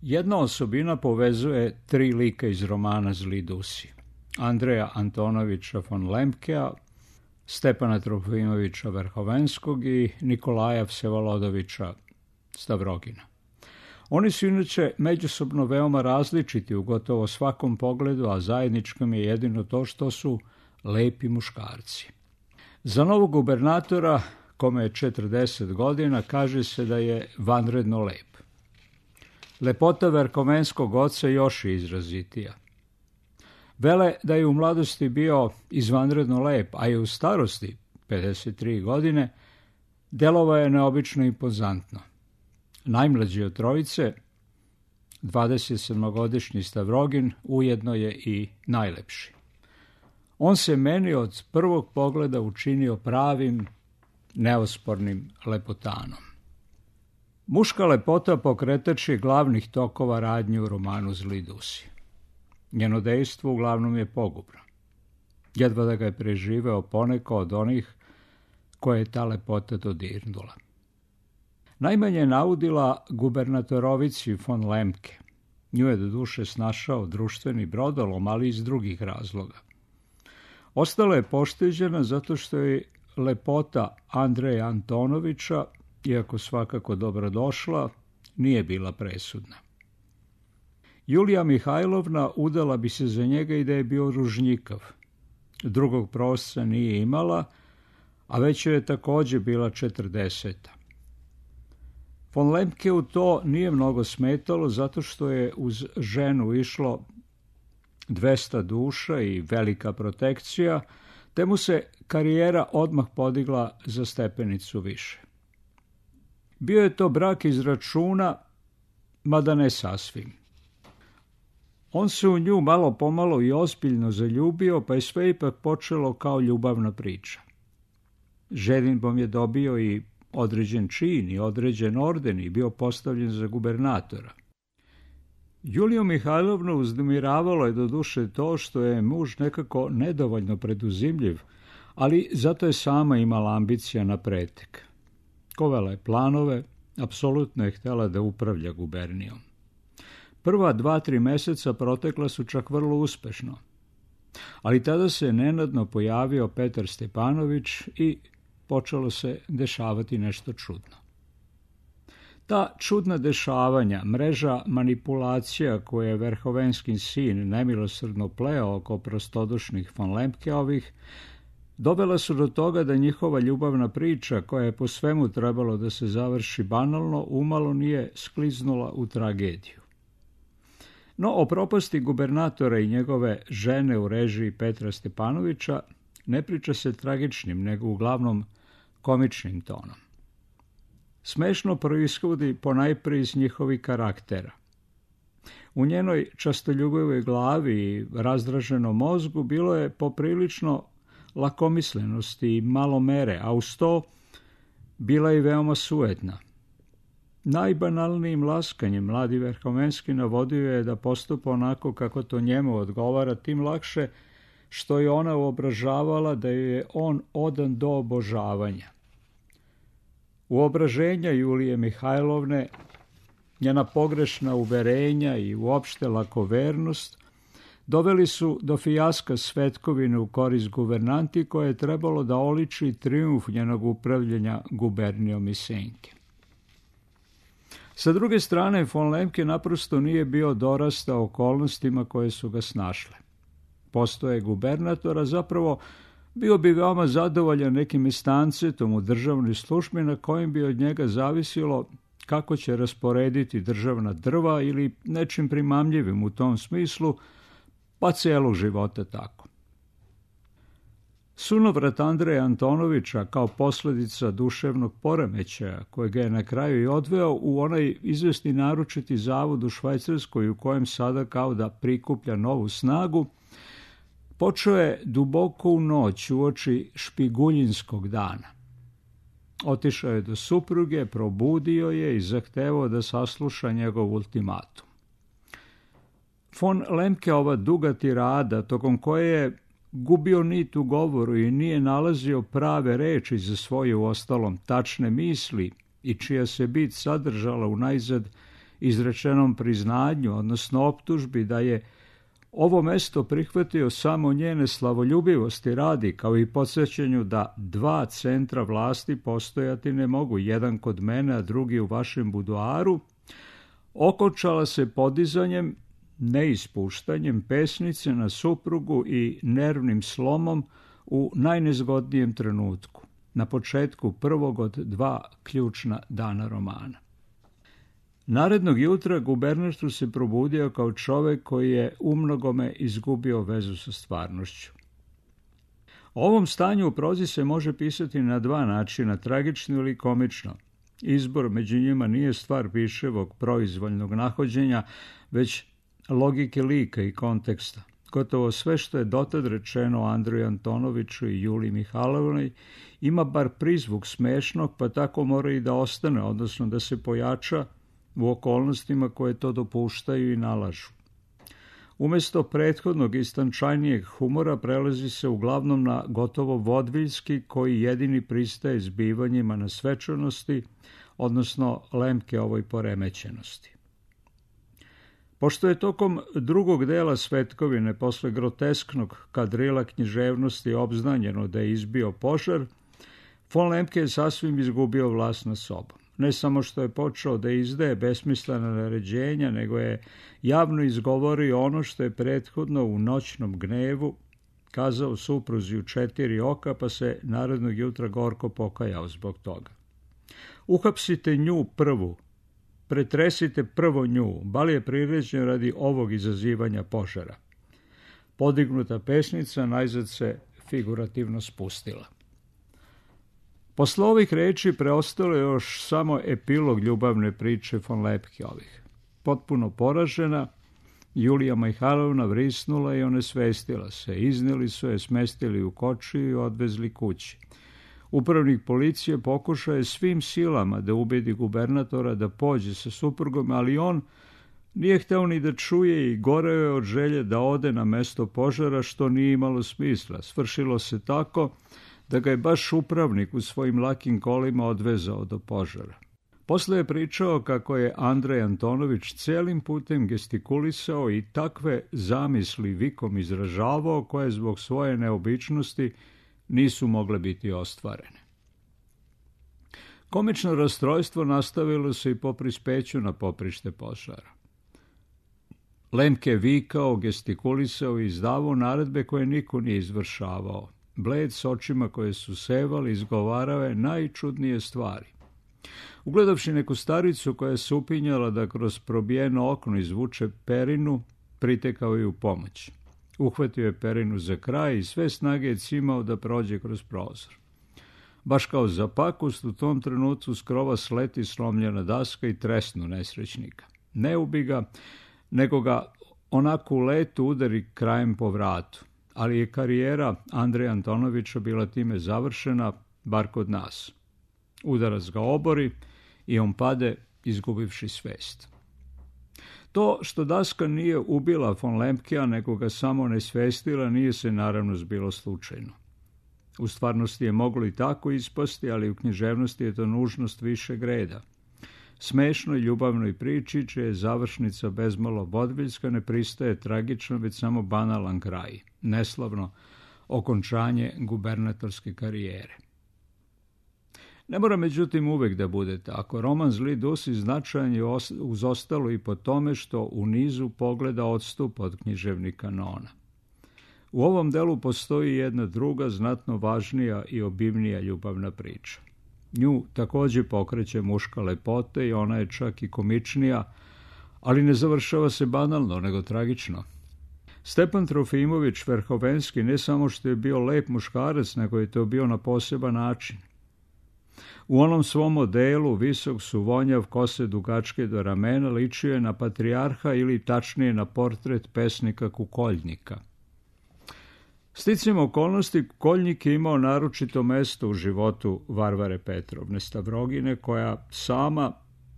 Jedna osobina povezuje tri lika iz romana Zli Dusi. Andreja Antonovića von Lemkea, Stepana Trofimovića Verhovenskog i Nikolaja Vsevolodovića Stavrogina. Oni su inače međusobno veoma različiti u gotovo svakom pogledu, a zajedničko je jedino to što su lepi muškarci. Za novog gubernatora, kome je 40 godina, kaže se da je vanredno lep. Lepota Verhovenskog oca još je izrazitija. Vele da je u mladosti bio izvanredno lep, a i u starosti, 53 godine, delovao je neobično impozantno. Najmlađi od trojice, 27-godišnji Stavrogin, ujedno je i najlepši. On se meni od prvog pogleda učinio pravim, neospornim lepotanom. Muška lepota pokretač je glavnih tokova radnje u romanu Zli Dusi. Njeno dejstvo uglavnom je pogubno. Jedva da ga je preživeo poneko od onih koje je ta lepota dodirnula. Najmanje je naudila gubernatorovici von Lemke. Nju je do duše snašao društveni brodolom, ali iz drugih razloga. Ostala je pošteđena zato što je lepota Andreja Antonovića, iako svakako dobrodošla, nije bila presudna. Julija Mihajlovna udala bi se za njega i da je bio ružnjikav. Drugog prosca nije imala, a već je također bila 40. Von Lemkeu to nije mnogo smetalo zato što je uz ženu išlo 200 duša i velika protekcija, te mu se karijera odmah podigla za stepenicu više. Bio je to brak iz računa, mada ne sasvim. On se u nju malo pomalo i ozbiljno zaljubio, pa je sve ipak počelo kao ljubavna priča. Ženidbom je dobio i određen čin i određen orden i bio postavljen za gubernatora. Juliju Mihajlovnu uznemiravalo je do duše to što je muž nekako nedovoljno preduzimljiv, ali zato je sama imala ambicija na pretek. Kovala je planove, apsolutno je htjela da upravlja gubernijom. Prva 2-3 meseca protekla su čak vrlo uspešno, ali tada se nenadno pojavio Petar Stepanović i počelo se dešavati nešto čudno. Ta čudna dešavanja, mreža manipulacija koje je Verhovenski sin nemilosrdno pleo oko prostodušnih von Lemkeovih, dovela su do toga da njihova ljubavna priča, koja je po svemu trebalo da se završi banalno, umalo nije skliznula u tragediju. No, o propasti gubernatora i njegove žene u režiji Petra Stepanovića ne priča se tragičnim, nego uglavnom komičnim tonom. Smešno proishodi ponajprije iz njihovih karaktera. U njenoj častoljubivoj glavi i razdraženom mozgu bilo je poprilično lakomislenosti i malo mere, a uz to bila je veoma sujetna. Najbanalnijim laskanjem mladi Verhovenski navodio je da postupa onako kako to njemu odgovara, tim lakše što je ona uobražavala da je on odan do obožavanja. Uobraženja Julije Mihajlovne, njena pogrešna uverenja i uopšte lakovernost doveli su do fijaska Svetkovine u korist guvernanti koje je trebalo da oliči trijumf njenog upravljanja gubernijom i Senke. Sa druge strane, von Lemke naprosto nije bio dorastao okolnostima koje su ga snašle. Postoje gubernatora, zapravo bio bi veoma zadovoljan nekim estancetom u državnoj službi na kojim bi od njega zavisilo kako će rasporediti državna drva ili nečim primamljivim u tom smislu, pa celog života tako. Sunovrat Andreja Antonovića kao posljedica duševnog poremećaja, koji ga je na kraju i odveo u onaj izvesni naručiti zavod u Švajcarskoj u kojem sada kao da prikuplja novu snagu, počeo je duboko u noć uoči špiguljinskog dana. Otišao je do supruge, probudio je i zahtevao da sasluša njegov ultimatum. Von Lemkeova duga tirada, tokom koje je gubio nit u govoru i nije nalazio prave reči za svoje uostalom tačne misli i čija se bit sadržala unajzad izrečenom priznanju, odnosno optužbi da je ovo mesto prihvatio samo njene slavoljubivosti radi, kao i podsjećanju da 2 centra vlasti postojati ne mogu, jedan kod mene, a drugi u vašem buduaru, okončala se podizanjem, ne ispuštanjem pesnice na suprugu i nervnim slomom u najnezgodnijem trenutku, na početku prvog od 2 ključna dana romana. Narednog jutra gubernator se probudio kao čovek koji je umnogome izgubio vezu sa stvarnošću. O ovom stanju u prozi se može pisati na 2 načina, tragično ili komično. Izbor među njima nije stvar piševog proizvoljnog nahođenja, već logike lika i konteksta. Gotovo sve što je dotad rečeno o Andreju Antonoviću i Juliji Mihajlovnoj ima bar prizvuk smešnog, pa tako mora i da ostane, odnosno da se pojača u okolnostima koje to dopuštaju i nalažu. Umjesto prethodnog istančajnijeg humora prelazi se uglavnom na gotovo vodviljski, koji jedini pristaje zbivanjima na svečanosti, odnosno Lemke ovoj poremećenosti. Pošto je tokom drugog dela Svetkovine, posle grotesknog kadrila književnosti obznanjeno da je izbio požar, von Lemke je sasvim izgubio vlast nad sobom. Ne samo što je počeo da izdaje besmislena naređenja, nego je javno izgovorio ono što je prethodno u noćnom gnevu kazao supruzi u 4 oka, pa se narednog jutra gorko pokajao zbog toga. Uhapsite nju prvu, pretresite prvo nju, bal je priređen radi ovog izazivanja požara. Podignuta pesnica najzad se figurativno spustila. Posle ovih reči preostalo je još samo epilog ljubavne priče von Lemkeovih. Potpuno poražena, Julija Mihajlovna vrisnula i onesvestila se. Izneli su je, smestili u kočiju i odvezli kući. Upravnik policije pokušao je svim silama da ubedi gubernatora da pođe sa suprugom, ali on nije hteo ni da čuje i goreo je od želje da ode na mesto požara, što nije imalo smisla. Svršilo se tako da ga je baš upravnik u svojim lakim kolima odvezao do požara. Posle je pričao kako je Andrej Antonović celim putem gestikulisao i takve zamisli vikom izražavao, koje zbog svoje neobičnosti nisu mogle biti ostvarene. Komično rastrojstvo nastavilo se i po prispeću na poprište požara. Lemke vikao, gestikulisao i izdavao naredbe koje niko nije izvršavao. Bled s očima koje su sevali izgovarao je najčudnije stvari. Ugledavši neku staricu koja se upinjala da kroz probijeno okno izvuče perinu, pritekao je u pomoć. Uhvatio je perinu za kraj i sve snage je cimao da prođe kroz prozor. Baš kao za pakost, u tom trenutku s krova sleti slomljena daska i tresnu nesrećnika. Ne ubi ga, nego ga onako u letu udari krajem po vratu. Ali je karijera Andreja Antonovića bila time završena, bar kod nas. Udarac ga obori i on pade, izgubivši svest. To što daska nije ubila von Lemkea, nego ga samo nesvestila, nije se naravno zbilo slučajno. U stvarnosti je moglo i tako ispasti, ali u književnosti je to nužnost višeg reda. Smešnoj ljubavnoj priči, čija je završnica bezmalo vodviljska, ne pristaje tragično, već samo banalan kraj, neslavno okončanje gubernatorske karijere. Ne mora međutim uvek da bude tako. Roman Zli Dusi značajan je uz ostalo i po tome što u nizu pogleda odstupa od književnih kanona. U ovom delu postoji jedna druga, znatno važnija i obimnija ljubavna priča. Nju također pokreće muška lepota i ona je čak i komičnija, ali ne završava se banalno, nego tragično. Stepan Trofimović Verhovenski ne samo što je bio lep muškarac, nego je to bio na poseban način. U onom svom modelu, visok suvonjav, kose dugačke do ramena, ličio je na patrijarha ili tačnije na portret pesnika Kukoljnika. Sticajem okolnosti, Kukoljnik je imao naročito mesto u životu Varvare Petrovne Stavrogine, koja sama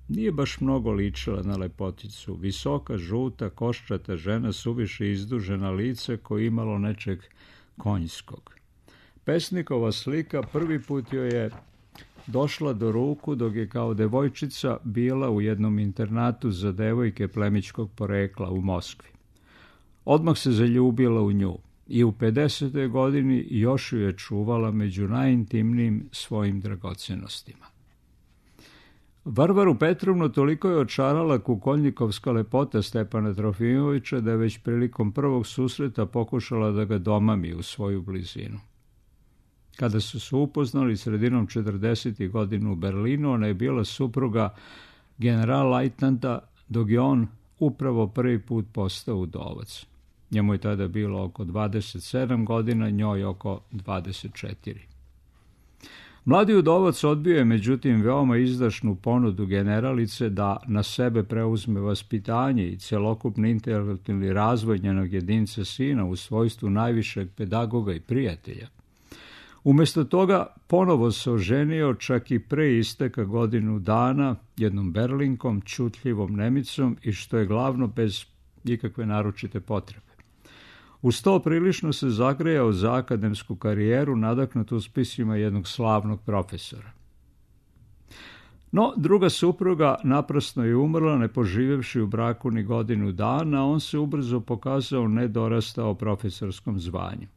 nije baš mnogo ličila na lepoticu. Visoka, žuta, koščata žena, suviše izdužena lice koje imalo nečeg konjskog. Pesnikova slika prvi put joj je došla do ruku dok je kao devojčica bila u jednom internatu za devojke plemićkog porekla u Moskvi. Odmah se zaljubila u nju i u 50. godini još ju je čuvala među najintimnijim svojim dragocenostima. Varvaru Petrovnu toliko je očarala kukoljnikovska lepota Stepana Trofimovića da je već prilikom prvog susreta pokušala da ga domami u svoju blizinu. Kada su se upoznali sredinom 40. godina u Berlinu, ona je bila supruga general-lajtnanta, dok je on upravo prvi put postao udovac. Njemu je tada bilo oko 27 godina, njoj oko 24. Mladi udovac odbio je međutim veoma izdašnu ponudu generalice da na sebe preuzme vaspitanje i celokupni intelektualni razvoj njenog jedinca sina u svojstvu najvišeg pedagoga i prijatelja. Umjesto toga ponovo se oženio čak i pre isteka godinu dana jednom Berlinkom, čutljivom Nemicom i što je glavno bez ikakve naročite potrebe. Uz to prilično se zagrejao za akademsku karijeru, nadahnut uspisima jednog slavnog profesora. No, druga supruga naprasno je umrla, ne poživjevši u braku ni godinu dana, a on se ubrzo pokazao nedorastao profesorskom zvanju.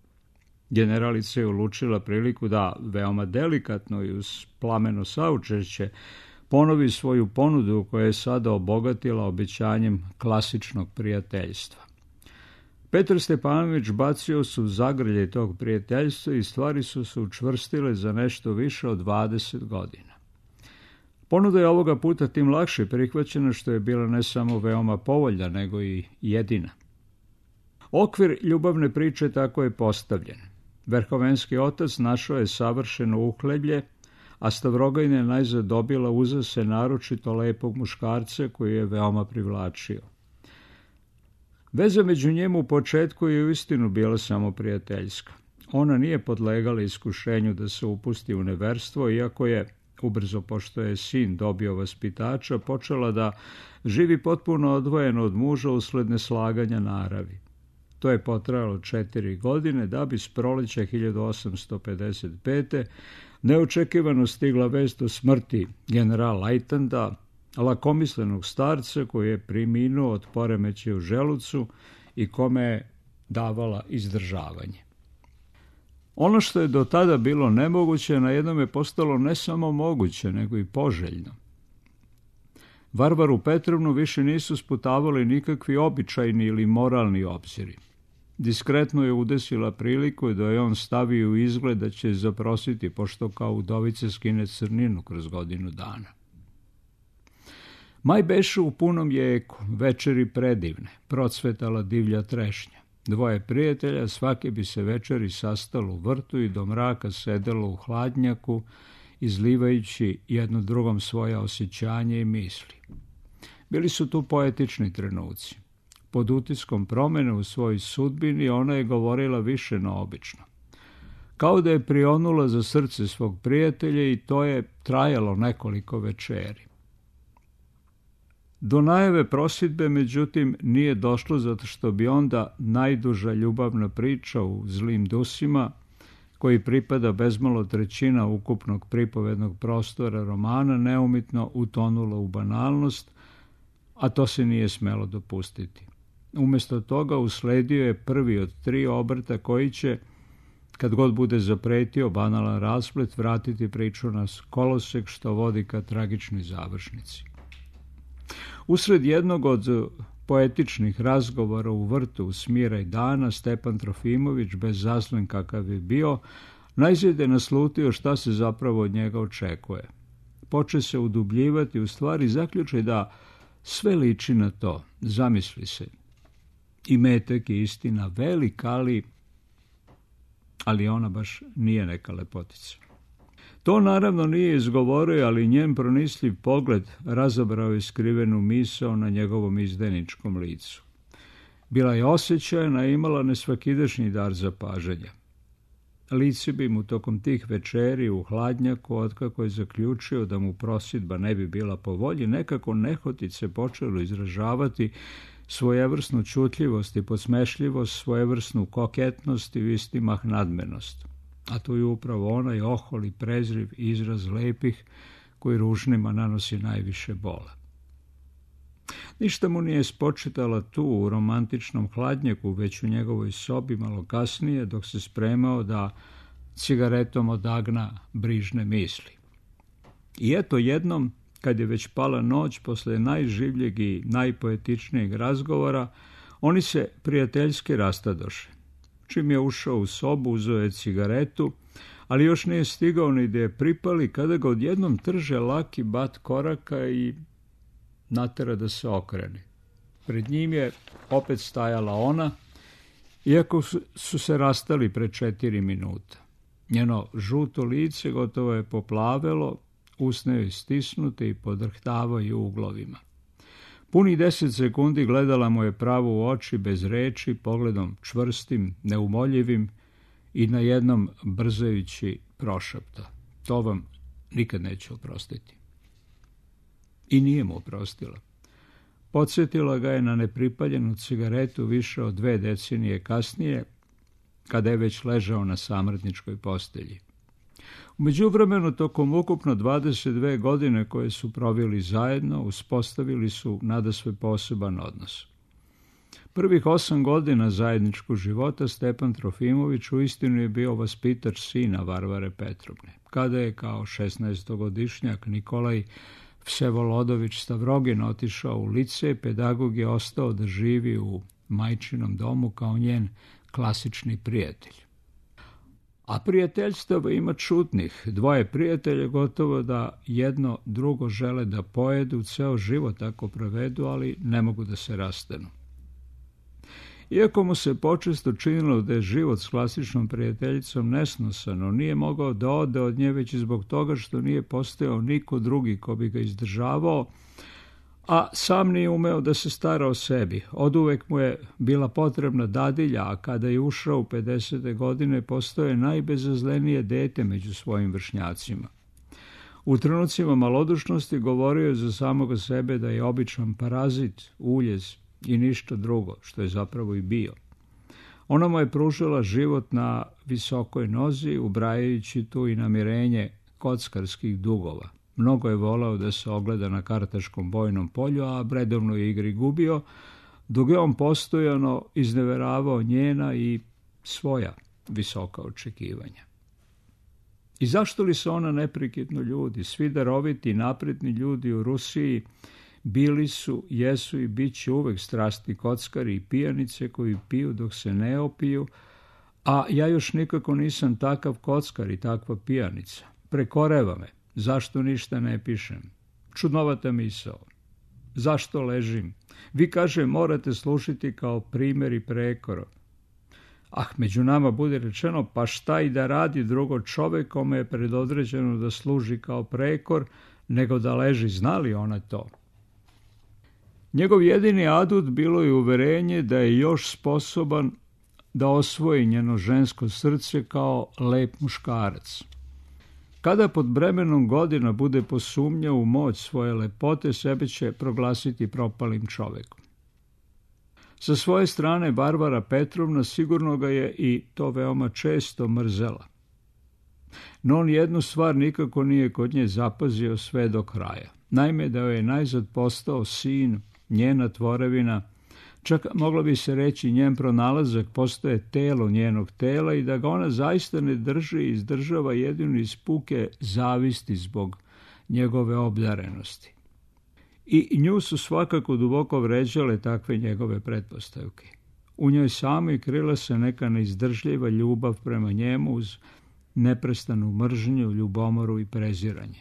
Generalica je ulučila priliku da, veoma delikatno i uz plameno saučešće, ponovi svoju ponudu koja je sada obogatila obećanjem klasičnog prijateljstva. Petar Stepanović bacio se u zagrlje tog prijateljstva i stvari su se učvrstile za nešto više od 20 godina. Ponuda je ovoga puta tim lakše prihvaćena što je bila ne samo veoma povoljna, nego i jedina. Okvir ljubavne priče tako je postavljen. Verhovenski otac našao je savršeno uhleblje, a Stavrogajna je najzad dobila uza se naročito lepog muškarca koji je veoma privlačio. Veza među njemu u početku je uistinu bila samo prijateljska. Ona nije podlegala iskušenju da se upusti u neverstvo, iako je, ubrzo pošto je sin dobio vaspitača, počela da živi potpuno odvojeno od muža usled neslaganja naravi. To je potrajalo 4 godine da bi s proleća 1855. neočekivano stigla vest o smrti general-lajtnanta, lakomislenog starca koji je preminuo od poremećaja u želucu i kome je davala izdržavanje. Ono što je do tada bilo nemoguće, na jednom je postalo ne samo moguće, nego i poželjno. Varvaru Petrovnu više nisu sputavali nikakvi običajni ili moralni obziri. Diskretno je udesila priliku da je on stavio u izgled da će zaprositi, pošto kao udovice skine crninu kroz godinu dana. Maj beše u punom jeku, večeri predivne, procvetala divlja trešnja. Dvoje prijatelja svake bi se večeri sastalo u vrtu i do mraka sedelo u hladnjaku, izlivajući jedno drugom svoja osjećanja i misli. Bili su tu poetični trenuci. Pod utiskom promene u svojoj sudbini ona je govorila više no obično. Kao da je prionula za srce svog prijatelja i to je trajalo nekoliko večeri. Do najave prosvidbe, međutim, nije došlo zato što bi onda najduža ljubavna priča u Zlim dusima, koji pripada bezmalo trećina ukupnog pripovednog prostora romana, neumitno utonula u banalnost, a to se nije smelo dopustiti. Umjesto toga usledio je prvi od 3 obrta koji će, kad god bude zapretio banalan rasplet, vratiti priču na kolosek što vodi ka tragičnoj završnici. Usred jednog od poetičnih razgovora u vrtu u Smiraj dana, Stepan Trofimović, bez zaslen kakav je bio, najzad je naslutio šta se zapravo od njega očekuje. Poče se udubljivati, u stvari zaključi da sve liči na to, zamisli se. I metak je istina velik, ali ona baš nije neka lepotica. To naravno nije izgovorio, ali njen pronisliv pogled razabrao je skrivenu misao na njegovom izdajničkom licu. Bila je osjećajna i imala nesvakidašnji dar zapažanja. Lice bi mu tokom tih večeri u hladnjaku, otkako je zaključio da mu prosvidba ne bi bila po volji, nekako nehotice počelo izražavati svojevrsnu čutljivost i podsmešljivost, svojevrsnu koketnost i u isti mah nadmenost. A to je upravo onaj ohol i prezriv izraz lepih koji ružnima nanosi najviše bola. Ništa mu nije spočitala tu u romantičnom hladnjaku, već u njegovoj sobi malo kasnije, dok se spremao da cigaretom odagna brižne misli. I eto jednom, kad je već pala noć, posle najživljeg i najpoetičnijeg razgovora, oni se prijateljski rastadoše. Čim je ušao u sobu, uzeo je cigaretu, ali još nije stigao ni da je pripali, kada ga odjednom trže laki bat koraka i natera da se okrene. Pred njim je opet stajala ona, iako su se rastali pre 4 minuta. Njeno žuto lice gotovo je poplavelo, usne joj stisnute i podrhtavaju uglovima. Punih 10 sekundi gledala mu je pravo u oči, bez reči, pogledom čvrstim, neumoljivim i na jednom brzajući prošapta: to vam nikad neću oprostiti. I nije mu oprostila. Podsjetila ga je na nepripaljenu cigaretu više od 2 decenije kasnije, kada je već ležao na samrtničkoj postelji. U međuvremenu, tokom ukupno 22 godine koje su proveli zajedno, uspostavili su nadasve poseban odnos. Prvih 8 godina zajedničkog života Stepan Trofimović uistinu je bio vaspitač sina Varvare Petrovne. Kada je kao 16-godišnjak Nikolaj Vsevolodović Stavrogin otišao u lice, pedagog je ostao da živi u majčinom domu kao njen klasični prijatelj. A prijateljstava ima čudnih. 2 prijatelja gotovo da jedno drugo žele da pojedu, ceo život tako provedu, ali ne mogu da se rastanu. Iako mu se počesto činilo da je život s klasičnom prijateljicom nesnosan, on nije mogao da ode od nje već zbog toga što nije postojao niko drugi ko bi ga izdržavao, a sam nije umeo da se stara o sebi. Oduvek mu je bila potrebna dadilja, a kada je ušao u 50. godine postao je najbezazlenije dete među svojim vršnjacima. U trenucima malodušnosti govorio je za samoga sebe da je običan parazit, uljez i ništa drugo, što je zapravo i bio. Ona mu je pružila život na visokoj nozi, ubrajajući tu i namirenje kockarskih dugova. Mnogo je volao da se ogleda na kartaškom bojnom polju, a redovnoj igri gubio, dok je on postojano izneveravao njena i svoja visoka očekivanja. I zašto li se ona neprekidno ljudi? Svi daroviti i napredni ljudi u Rusiji bili su, jesu i bit će uvek strasti kockari i pijanice koji piju dok se ne opiju, a ja još nikako nisam takav kockar i takva pijanica. Prekoreva me. Zašto ništa ne pišem? Čudnovata misao. Zašto ležim? Vi, kaže, morate služiti kao primjer i prekoro. Među nama bude rečeno, pa šta i da radi drugo čovek kome je predodređeno da služi kao prekor, nego da leži, znali ona to. Njegov jedini adut bilo je uverenje da je još sposoban da osvoji njeno žensko srce kao lep muškarac. Kada pod bremenom godina bude posumnjao u moć svoje lepote, sebe će proglasiti propalim čovekom. Sa svoje strane, Varvara Petrovna sigurno ga je i to veoma često mrzela. No on jednu stvar nikako nije kod nje zapazio sve do kraja. Naime, da joj je najzad postao sin, njena tvorevina, čak moglo bi se reći njen pronalazak postoje telo njenog tela i da ga ona zaista ne drži i izdržava jedino iz puke zavisti zbog njegove obdarenosti. I nju su svakako duboko vređale takve njegove pretpostavke. U njoj samoj krila se neka neizdržljiva ljubav prema njemu uz neprestanu mržnju, ljubomoru i preziranje.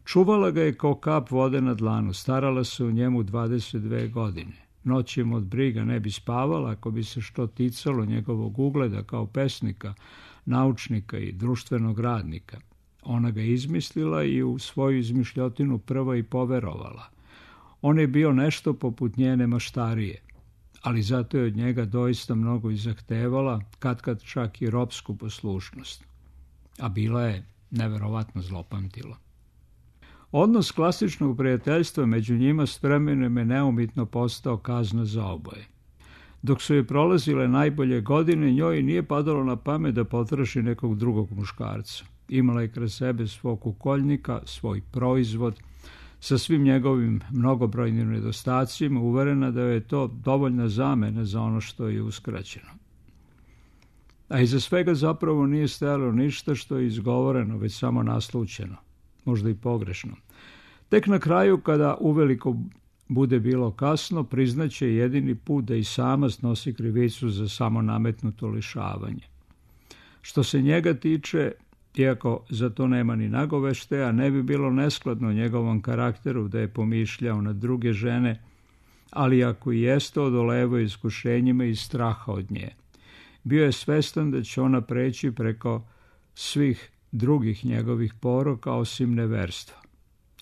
Čuvala ga je kao kap vode na dlanu, starala se o njemu 22 godine. Noćima od briga ne bi spavala ako bi se što ticalo njegovog ugleda kao pesnika, naučnika i društvenog radnika. Ona ga izmislila i u svoju izmišljotinu prva i poverovala. On je bio nešto poput njene maštarije, ali zato je od njega doista mnogo i zahtevala, katkad čak i ropsku poslušnost. A bila je neverovatno zlopamtila. Odnos klasičnog prijateljstva među njima s vremenom je neumitno postao kazna za oboje. Dok su je prolazile najbolje godine, njoj nije padalo na pamet da potraži nekog drugog muškarca. Imala je kraj sebe svog ukoljnika, svoj proizvod, sa svim njegovim mnogobrojnim nedostacima, uverena da je to dovoljna zamena za ono što je uskraćeno. A iza svega zapravo nije stajalo ništa što je izgovoreno, već samo naslućeno, možda i pogrešno. Tek na kraju, kada uveliko bude bilo kasno, priznaće jedini put da i sama snosi krivicu za samo nametnuto lišavanje. Što se njega tiče, iako za to nema ni nagoveštaja, ne bi bilo neskladno njegovom karakteru da je pomišljao na druge žene, ali ako i jeste, odolevao iskušenjima i straha od nje. Bio je svestan da će ona preći preko svih drugih njegovih poroka osim neverstva.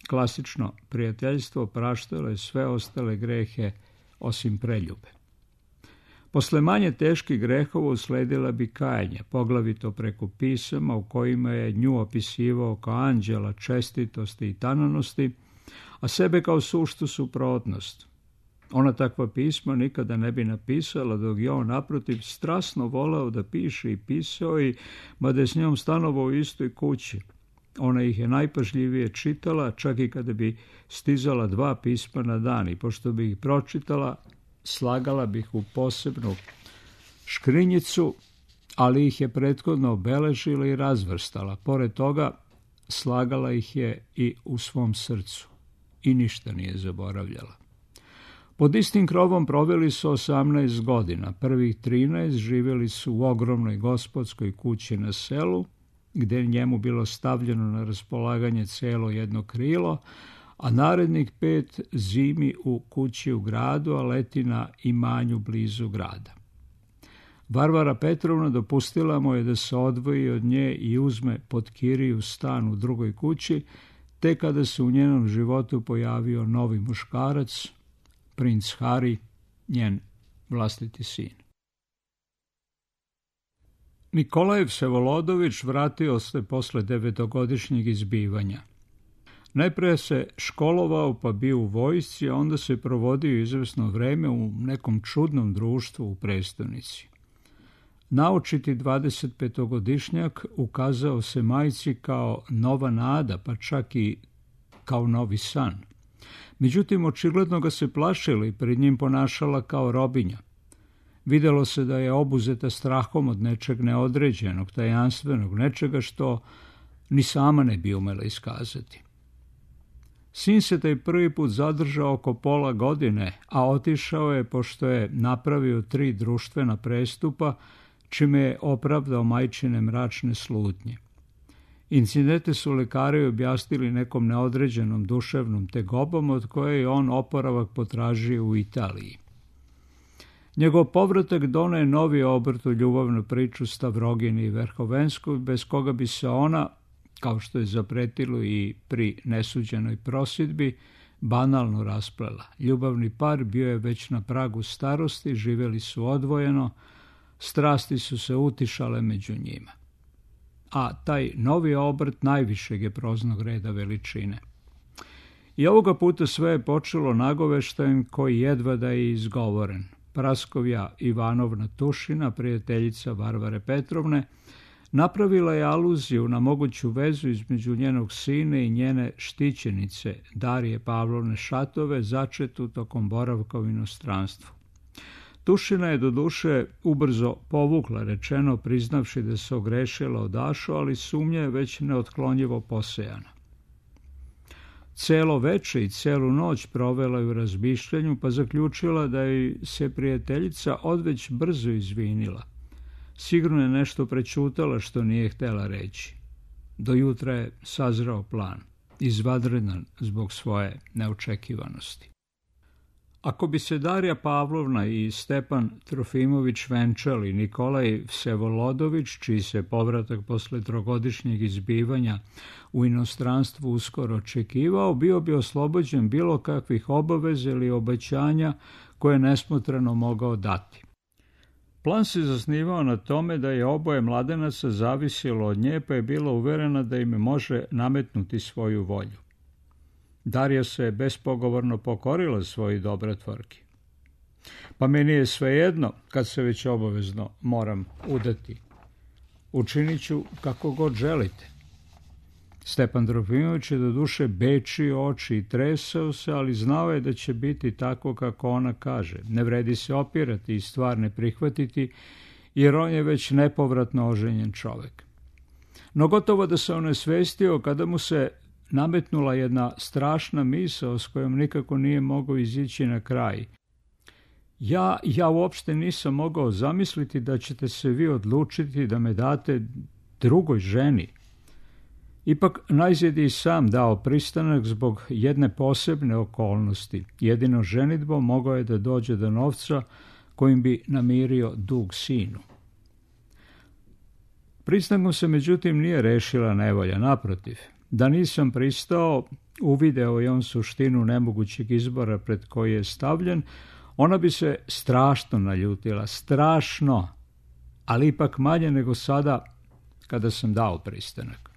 Klasično prijateljstvo praštalo je sve ostale grehe osim preljube. Posle manje teških grehova usledila bi kajanje, poglavito preko pisama u kojima je nju opisivao kao anđela čestitosti i tananosti, a sebe kao suštu suprotnost. Ona takva pisma nikada ne bi napisala, dok je on naprotiv strasno voleo da piše i pisao i mada je s njom stanovao u istoj kući. Ona ih je najpažljivije čitala, čak i kada bi stizala 2 pisma na dan, i pošto bi ih pročitala, slagala bi ih u posebnu škrinjicu, ali ih je prethodno obeležila i razvrstala. Pored toga, slagala ih je i u svom srcu i ništa nije zaboravljala. Pod istim krovom proveli su 18 godina. Prvih 13 živjeli su u ogromnoj gospodskoj kući na selu, gdje je njemu bilo stavljeno na raspolaganje celo jedno krilo, a narednih 5 zimi u kući u gradu, a leti na imanju blizu grada. Varvara Petrovna dopustila mu je da se odvoji od nje i uzme pod kiriju stan u drugoj kući, te kada se u njenom životu pojavio novi muškarac, princ Hari, njen vlastiti sin. Nikolaj Vsevolodović vratio se posle 9-godišnjeg izbivanja. Najpre se školovao pa bio u vojsci, a onda se provodio izvesno vreme u nekom čudnom društvu u prestonici. Naočiti 25-godišnjak ukazao se majci kao nova nada, pa čak i kao novi san. Međutim, očigledno ga se plašila i pred njim ponašala kao robinja. Videlo se da je obuzeta strahom od nečeg neodređenog, tajanstvenog, nečega što ni sama ne bi umela iskazati. Sin se taj prvi put zadržao oko pola godine, a otišao je pošto je napravio 3 društvena prestupa, čime je opravdao majčine mračne slutnje. Incidente su lekari objasnili nekom neodređenom duševnom tegobom, od koje je on oporavak potražio u Italiji. Njegov povratak doneo je novi obrt u ljubavnu priču Stavrogini i Verhovenskoj, bez koga bi se ona, kao što je zapretilo i pri nesuđenoj prosudbi, banalno rasplela. Ljubavni par bio je već na pragu starosti, živjeli su odvojeno, strasti su se utišale među njima. A taj novi obrt najvišeg je proznog reda veličine. I ovoga puta sve je počelo nagoveštajem koji jedva da je izgovoren. Praskovja Ivanovna Tušina, prijateljica Varvare Petrovne, napravila je aluziju na moguću vezu između njenog sina i njene štićenice Darije Pavlovne Šatove, začetu tokom boravka u inostranstvu. Tušina je doduše ubrzo povukla rečeno, priznavši da se ogrešila od Ašu, ali sumnja je već neotklonjivo posejana. Celo veče i celu noć provela je u razmišljanju, pa zaključila da joj se prijateljica odveć brzo izvinila. Sigurno je nešto prećutala što nije htjela reći. Do jutra je sazrao plan, izvanredan zbog svoje neočekivanosti. Ako bi se Darija Pavlovna i Stepan Trofimović venčali, Nikolaj Vsevolodović, čiji se povratak posle 3-godišnjeg izbivanja u inostranstvu uskoro očekivao, bio bi oslobođen bilo kakvih obaveza ili obećanja koje je nesmotreno mogao dati. Plan se zasnivao na tome da je oboje mladenaca zavisilo od nje, pa je bila uverena da im može nametnuti svoju volju. Darija se bespogovorno pokorila svoji dobrotvorki. Pa meni je svejedno kad se već obavezno moram udati. Učinit ću kako god želite. Stepan Trofimović je do duše bečio oči i tresao se, ali znao je da će biti tako kako ona kaže. Ne vredi se opirati i stvar ne prihvatiti, jer on je već nepovratno oženjen čovek. No gotovo da se on osvestio kada mu se nametnula jedna strašna misao s kojom nikako nije mogao izići na kraj. Ja uopšte nisam mogao zamisliti da ćete se vi odlučiti da me date drugoj ženi. Ipak najzad je i sam dao pristanak zbog jedne posebne okolnosti. Jedino ženidbom mogao je da dođe do novca kojim bi namirio dug sinu. Pristankom se međutim nije rešila nevolja, naprotiv. Da nisam pristao, uvideo je on suštinu nemogućeg izbora pred koji je stavljen, ona bi se strašno naljutila, strašno, ali ipak manje nego sada kada sam dao pristanak.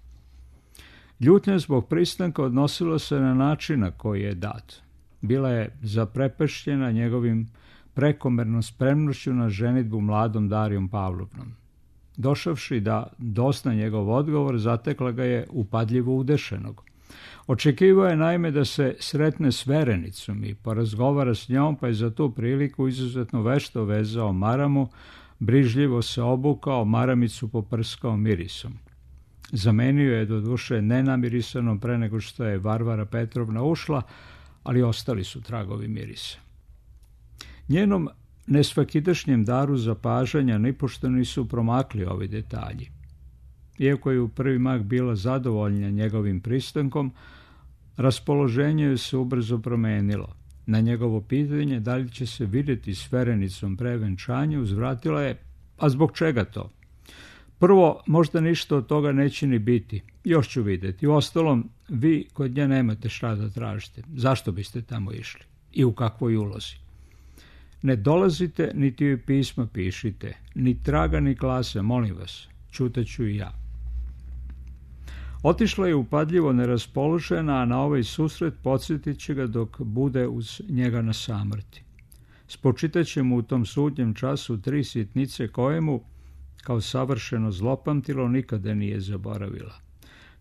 Ljutnja zbog pristanka odnosila se na način na koji je dat. Bila je zaprepešćena njegovim prekomernom spremnošću na ženidbu mladom Darijom Pavlovnom. Došavši da dosna njegov odgovor, zatekla ga je upadljivo udešenog. Očekivao je naime da se sretne s verenicom i porazgovara s njom, pa je za tu priliku izuzetno vešto vezao maramu, brižljivo se obukao, maramicu poprskao mirisom. Zamenio je do duše nenamirisanom pre nego što je Varvara Petrovna ušla, ali ostali su tragovi mirisa. Njenom nesvakidašnjem daru zapažanja nipošto nisu promakli ovi detalji. Iako je u prvi mah bila zadovoljna njegovim pristankom, raspoloženje joj se ubrzo promenilo. Na njegovo pitanje da li će se vidjeti s verenicom pre venčanja, uzvratila je: a zbog čega to? Prvo, možda ništa od toga neće ni biti. Još ću vidjeti. Uostalom, vi kod nje nemate šta da tražite. Zašto biste tamo išli? I u kakvoj ulozi? Ne dolazite, niti joj pisma pišite. Ni traga, ni klase, molim vas. Ćutaću i ja. Otišla je upadljivo neraspoložena, a na ovaj susret podsjetit će ga dok bude uz njega na samrti. Spočitaće mu u tom sudnjem času 3 sitnice koje mu, kao savršeno zlopamtilo, nikada nije zaboravila.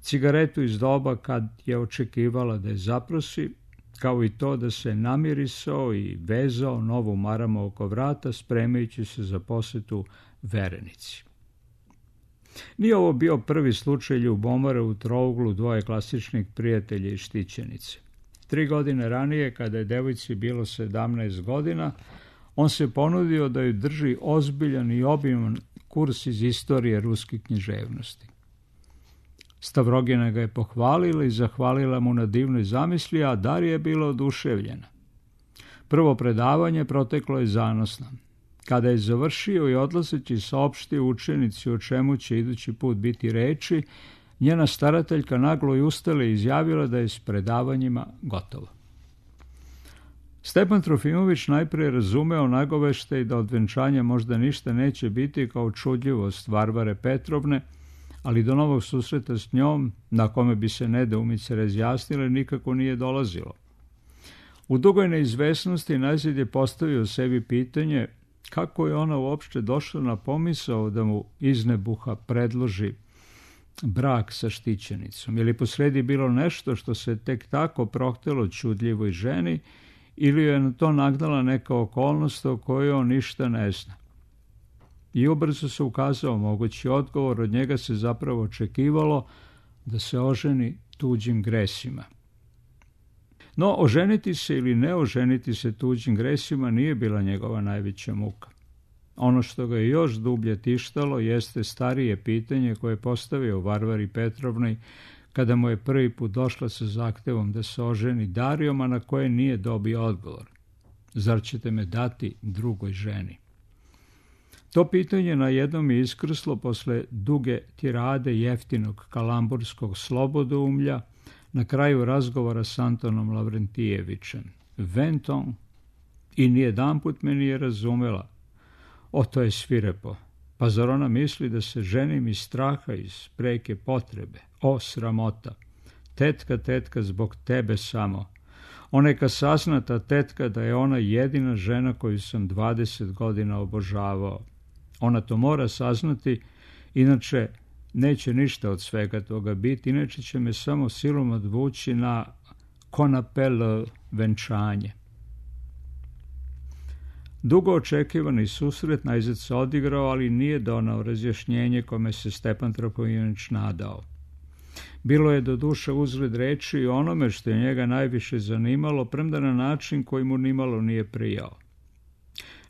Cigaretu iz doba kad je očekivala da je zaprosi, kao i to da se namirisao i vezao novu maramu oko vrata, spremajući se za posetu verenici. Nije ovo bio prvi slučaj ljubomore u trouglu dvoje klasičnih prijatelja i štićenice. 3 godine ranije, kada je devojci bilo 17 godina, on se ponudio da ju drži ozbiljan i obiman kurs iz istorije ruske književnosti. Stavrogina ga je pohvalila i zahvalila mu na divnoj zamisli, a Darija je bila oduševljena. Prvo predavanje proteklo je zanosno. Kada je završio i odlazeći saopštio učenici o čemu će idući put biti reči, njena starateljka naglo i ustala i izjavila da je s predavanjima gotovo. Stepan Trofimović najprije razumeo nagoveštaj da od venčanja možda ništa neće biti kao čudljivost Varvare Petrovne, ali do novog susreta s njom, na kome bi se nedoumice razjasnile, nikako nije dolazilo. U dugoj neizvesnosti najzad je postavio sebi pitanje kako je ona uopšte došla na pomisao da mu iz nebuha predloži brak sa štićenicom. Je li posredi bilo nešto što se tek tako prohtelo čudljivoj ženi, ili je na to nagnala neka okolnost o kojoj on ništa ne zna? I ubrzo se ukazao mogući odgovor, od njega se zapravo očekivalo da se oženi tuđim gresima. No, oženiti se ili ne oženiti se tuđim gresima nije bila njegova najveća muka. Ono što ga je još dublje tištalo jeste starije pitanje koje je postavio Varvari Petrovnoj kada mu je prvi put došla sa zahtevom da se oženi Darijom, a na koje nije dobio odgovor. Zar ćete me dati drugoj ženi? To pitanje na jednom je iskrslo posle duge tirade jeftinog kalamburskog slobodoumlja na kraju razgovora s Antonom Lavrentijevićem. Venton, i nijedanput me nije razumela. O, to je svirepo. Pa zar ona misli da se ženim iz straha, iz preke potrebe? O, sramota. Tetka, zbog tebe samo. Oneka saznata tetka da je ona jedina žena koju sam 20 godina obožavao. Ona to mora saznati, inače neće ništa od svega toga biti, inače će me samo silom odvući na konapel venčanje. Dugo očekivani susret najzad se odigrao, ali nije donao razjašnjenje kome se Stepan Trofimović nadao. Bilo je doduše uzgled reči i onome što je njega najviše zanimalo, premda na način koji mu nimalo nije prijao.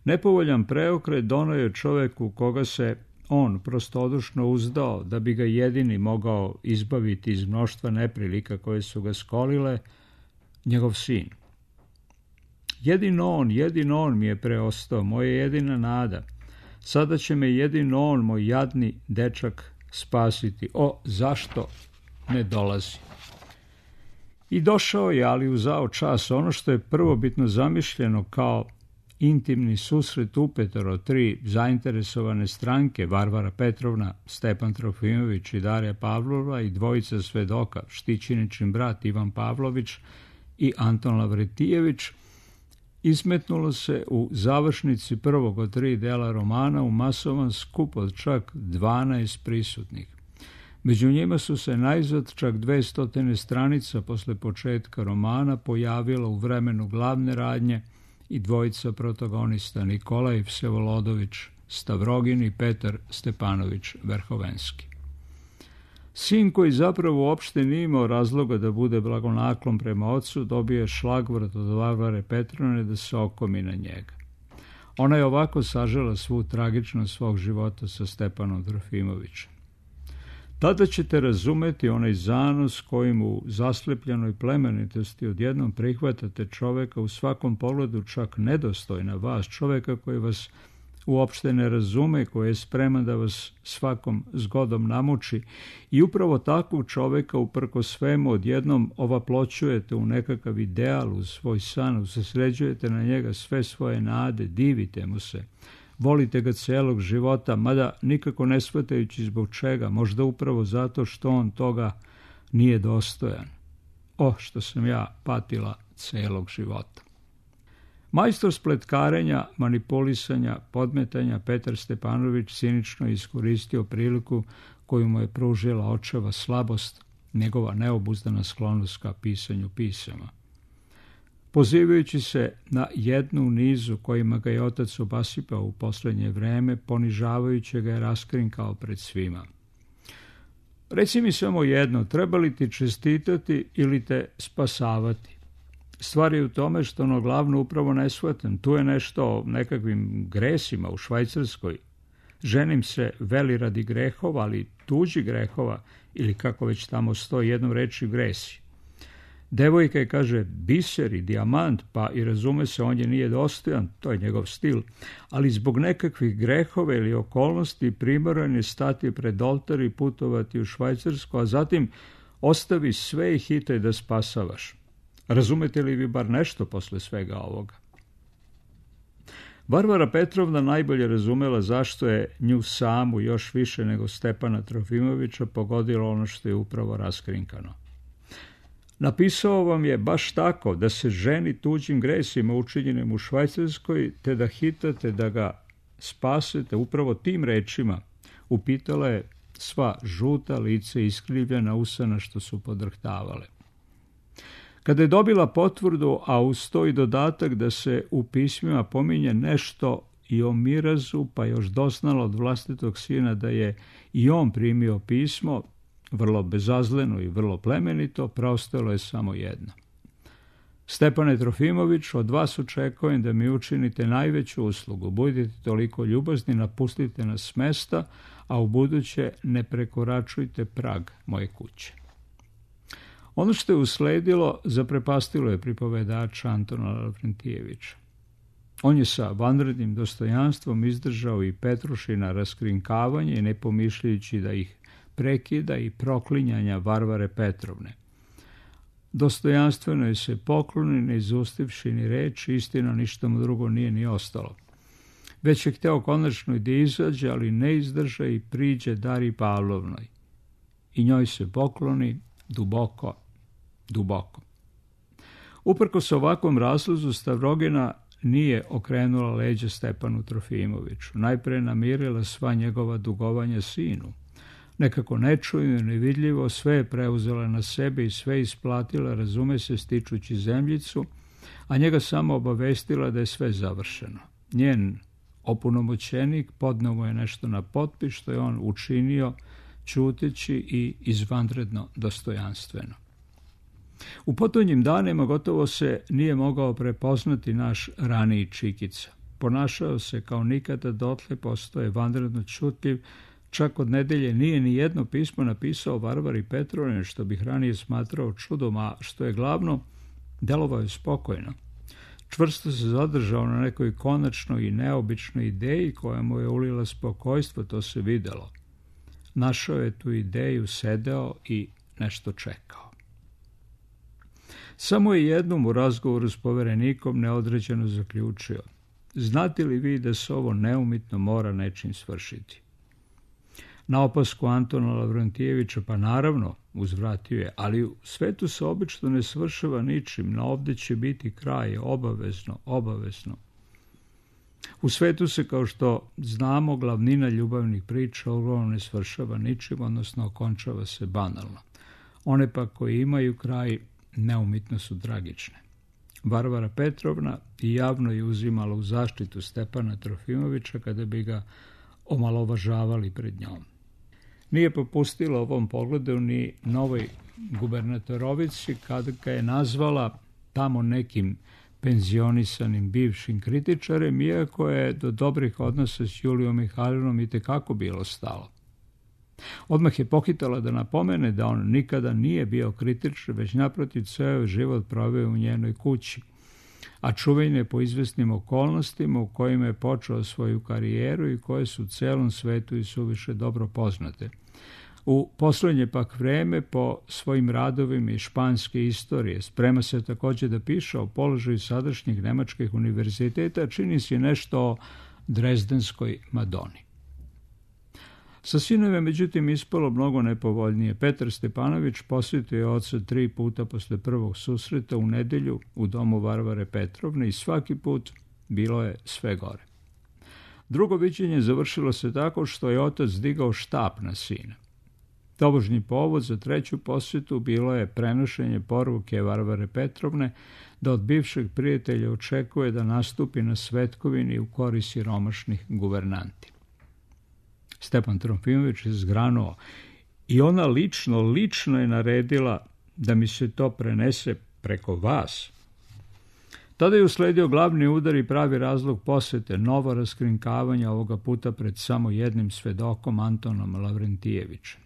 Nepovoljan preokret donao je čoveku koga se on prostodušno uzdao da bi ga jedini mogao izbaviti iz mnoštva neprilika koje su ga skolile, njegov sin. Jedino on mi je preostao, moja jedina nada. Sada će me jedino on, moj jadni dečak, spasiti. O, zašto ne dolazi? I došao je, ali u zao čas, ono što je prvobitno zamišljeno kao intimni susret upetoro tri zainteresovane stranke, Varvara Petrovna, Stepan Trofimović i Darija Pavlova i dvojica svedoka, Štićiničin brat Ivan Pavlović i Anton Lavrentijević, izmetnulo se u završnici prvog od 3 dela romana u masovan skup od čak 12 prisutnih. Među njima su se najzad čak 200 stranica posle početka romana pojavila u vremenu glavne radnje i dvojica protagonista Nikolaj Vsevolodović Stavrogin i Petar Stepanović Verhovenski. Sin, koji zapravo uopšte nije imao razloga da bude blagonaklon prema ocu, dobije šlagvort od Varvare Petrovne da se okomi na njega. Ona je ovako sažela svu tragičnost svog života sa Stepanom Trofimovićem. Tada ćete razumeti onaj zanos kojim u zaslepljenoj plemenitosti odjednom prihvatate čoveka u svakom pogledu čak nedostojna vas, čoveka koji vas uopšte ne razume, koji je spreman da vas svakom zgodom namuči, i upravo takvog čoveka uprko svemu odjednom ovaploćujete u nekakav ideal, u svoj san, usređujete na njega sve svoje nade, divite mu se. Volite ga celog života, mada nikako ne shvatajući zbog čega, možda upravo zato što on toga nije dostojan. O, što sam ja patila celog života. Majstor spletkarenja, manipulisanja, podmetanja, Petar Stepanović cinično iskoristio priliku koju mu je pružila očeva slabost, njegova neobuzdana sklonost ka pisanju pisama. Pozivajući se na jednu u nizu kojima ga je otac obasipao u poslednje vreme, ponižavajući ga je raskrinkao pred svima. Reci mi samo jedno, treba li ti čestitati ili te spasavati? Stvar je u tome što ono glavno upravo ne shvatam. Tu je nešto o nekakvim gresima u Švajcarskoj. Ženim se veli radi grehova, ali tuđi grehova, ili kako već tamo stoji jednom reči gresi. Devojka je, kaže, biser i dijamant, pa i razume se, on je nije dostojan, to je njegov stil, ali zbog nekakvih grehova ili okolnosti primoran je stati pred oltar i putovati u Švajcarsku, a zatim ostavi sve i hitaj da spasavaš. Razumete li vi bar nešto posle svega ovoga? Varvara Petrovna najbolje razumela zašto je nju samu još više nego Stepana Trofimovića pogodilo ono što je upravo raskrinkano. Napisao vam je baš tako da se ženi tuđim gresima učinjenim u Švajcarskoj, te da hitate da ga spasete upravo tim rečima, upitala je sva žuta lice iskrivljena usana što su podrhtavale. Kada je dobila potvrdu, a uz to i dodatak da se u pismima pominje nešto i o mirazu, pa još doznala od vlastitog sina da je i on primio pismo, vrlo bezazleno i vrlo plemenito, preostalo je samo jedno. Stepane Trofimović, od vas očekujem da mi učinite najveću uslugu. Budite toliko ljubazni, napustite nas s mesta, a ubuduće ne prekoračujte prag moje kuće. Ono što je usledilo zaprepastilo je pripovedača Antona Lavrentijevića. On je sa vanrednim dostojanstvom izdržao i Petrušina raskrinkavanje, ne pomišljajući da ih prekida i proklinjanja Varvare Petrovne. Dostojanstveno je se pokloni, ne izustivši ni reči, istina ništa mu drugo nije ni ostalo. Već je hteo konačno da izađe, ali ne izdrža i priđe Dari Pavlovnoj. I njoj se pokloni duboko, duboko. Uprkos ovakvom razlozu Stavrogina nije okrenula leđa Stepanu Trofimoviću. Najpre namirila sva njegova dugovanja sinu. Nekako nečujno i nevidljivo sve je preuzela na sebe i sve isplatila, razume se, stičući zemljicu, a njega samo obavestila da je sve završeno. Njen opunomoćenik podneo mu je nešto na potpis, što je on učinio ćuteći i izvanredno dostojanstveno. U potonjim danima gotovo se nije mogao prepoznati naš raniji Čikica. Ponašao se kao nikada dotle, postoje vanredno ćutljiv, čak od nedelje nije ni jedno pismo napisao Varvari Petrovne, što bih ranije smatrao čudom, a što je glavno, delovao je spokojno. Čvrsto se zadržao na nekoj konačnoj i neobičnoj ideji koja mu je ulila spokojstvo, to se videlo. Našao je tu ideju, sedeo i nešto čekao. Samo je jednom u razgovoru s poverenikom neodređeno zaključio: znate li vi da se ovo neumitno mora nečim svršiti? Na opasku Antona Lavrentijevića, pa naravno, uzvratio je, ali u svetu se obično ne svršava ničim, na ovdje će biti kraj, obavezno. U svetu se, kao što znamo, glavnina ljubavnih priča uglavnom ne svršava ničim, odnosno okončava se banalno. One pa koji imaju kraj, neumitno su tragične. Varvara Petrovna i javno je uzimala u zaštitu Stepana Trofimovića kada bi ga omalovažavali pred njom. Nije popustila ovom pogledu ni novoj gubernatorovici kada ga je nazvala tamo nekim penzionisanim bivšim kritičarem, iako je do dobrih odnosa s Julijom Mihajlovnom itekako bilo stalo. Odmah je pohitala da napomene da on nikada nije bio kritičar, već naprotiv ceo život proveo u njenoj kući, a čuven je po izvesnim okolnostima u kojima je počeo svoju karijeru i koje su celom svetu i suviše dobro poznate. U poslednje pak vreme po svojim radovima iz španske istorije sprema se također da piše o položaju sadašnjih nemačkih univerziteta, čini se nešto o Drezdenskoj Madoni. Sa sinom je međutim ispalo mnogo nepovoljnije. Petar Stepanović posjetio je oca 3 puta posle prvog susreta u nedelju u domu Varvare Petrovne i svaki put bilo je sve gore. Drugo viđenje završilo se tako što je otac digao štap na sina. Tobožnji povod za 3. posjetu bilo je prenošenje poruke Varvare Petrovne da od bivšeg prijatelja očekuje da nastupi na svetkovini u korist siromašnih guvernanti. Stepan Trofimović je zgranuo i ona lično je naredila da mi se to prenese preko vas. Tada je usledio glavni udar i pravi razlog posete, novo raskrinkavanje, ovoga puta pred samo jednim svedokom, Antonom Lavrentijevićem.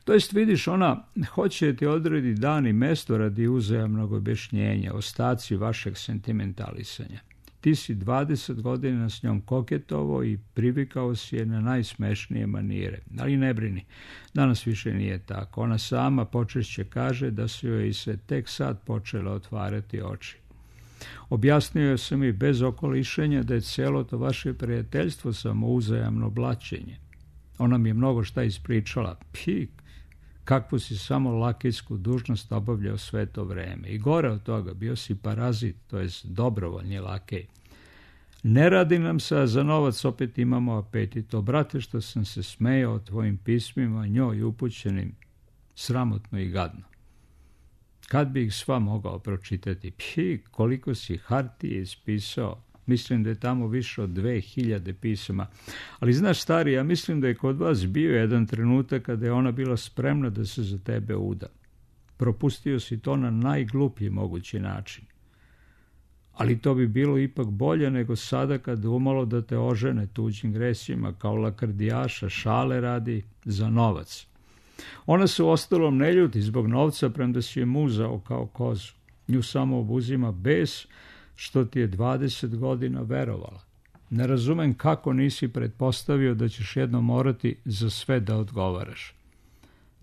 To jest, vidiš, ona hoće da ti odredi dan i mesto radi uzajamnog objašnjenja, ostaci vašeg sentimentalisanja. Ti si 20 godina s njom koketovao i privikao si je na najsmešnije manire. Ali ne brini, danas više nije tako. Ona sama počešće kaže da su joj i se tek sad počela otvarati oči. Objasnio sam i bez okolišenja da je cijelo to vaše prijateljstvo samo uzajamno blaćenje. Ona mi je mnogo šta ispričala. Kakvu si samo lakejsku dužnost obavljao sve to vreme. I gore od toga, bio si parazit, to jest dobrovoljni lakej. Ne radi nam se, a za novac opet imamo apetit. Brate, što sam se smejao tvojim pismima, njoj upućenim, sramotno i gadno. Kad bi ih sva mogao pročitati? Koliko si hartije ispisao. Mislim da je tamo više od 2000 pisama. Ali znaš, stari, ja mislim da je kod vas bio jedan trenutak kada je ona bila spremna da se za tebe uda. Propustio si to na najgluplji mogući način. Ali to bi bilo ipak bolje nego sada kada umalo da te ožene tuđim gresima kao lakrdijaša, šale radi za novac. Ona se uostalom ne ljuti zbog novca, premda si je muzao kao kozu. Nju samo obuzima bes što ti je 20 godina verovala. Ne razumem kako nisi pretpostavio da ćeš jednom morati za sve da odgovaraš.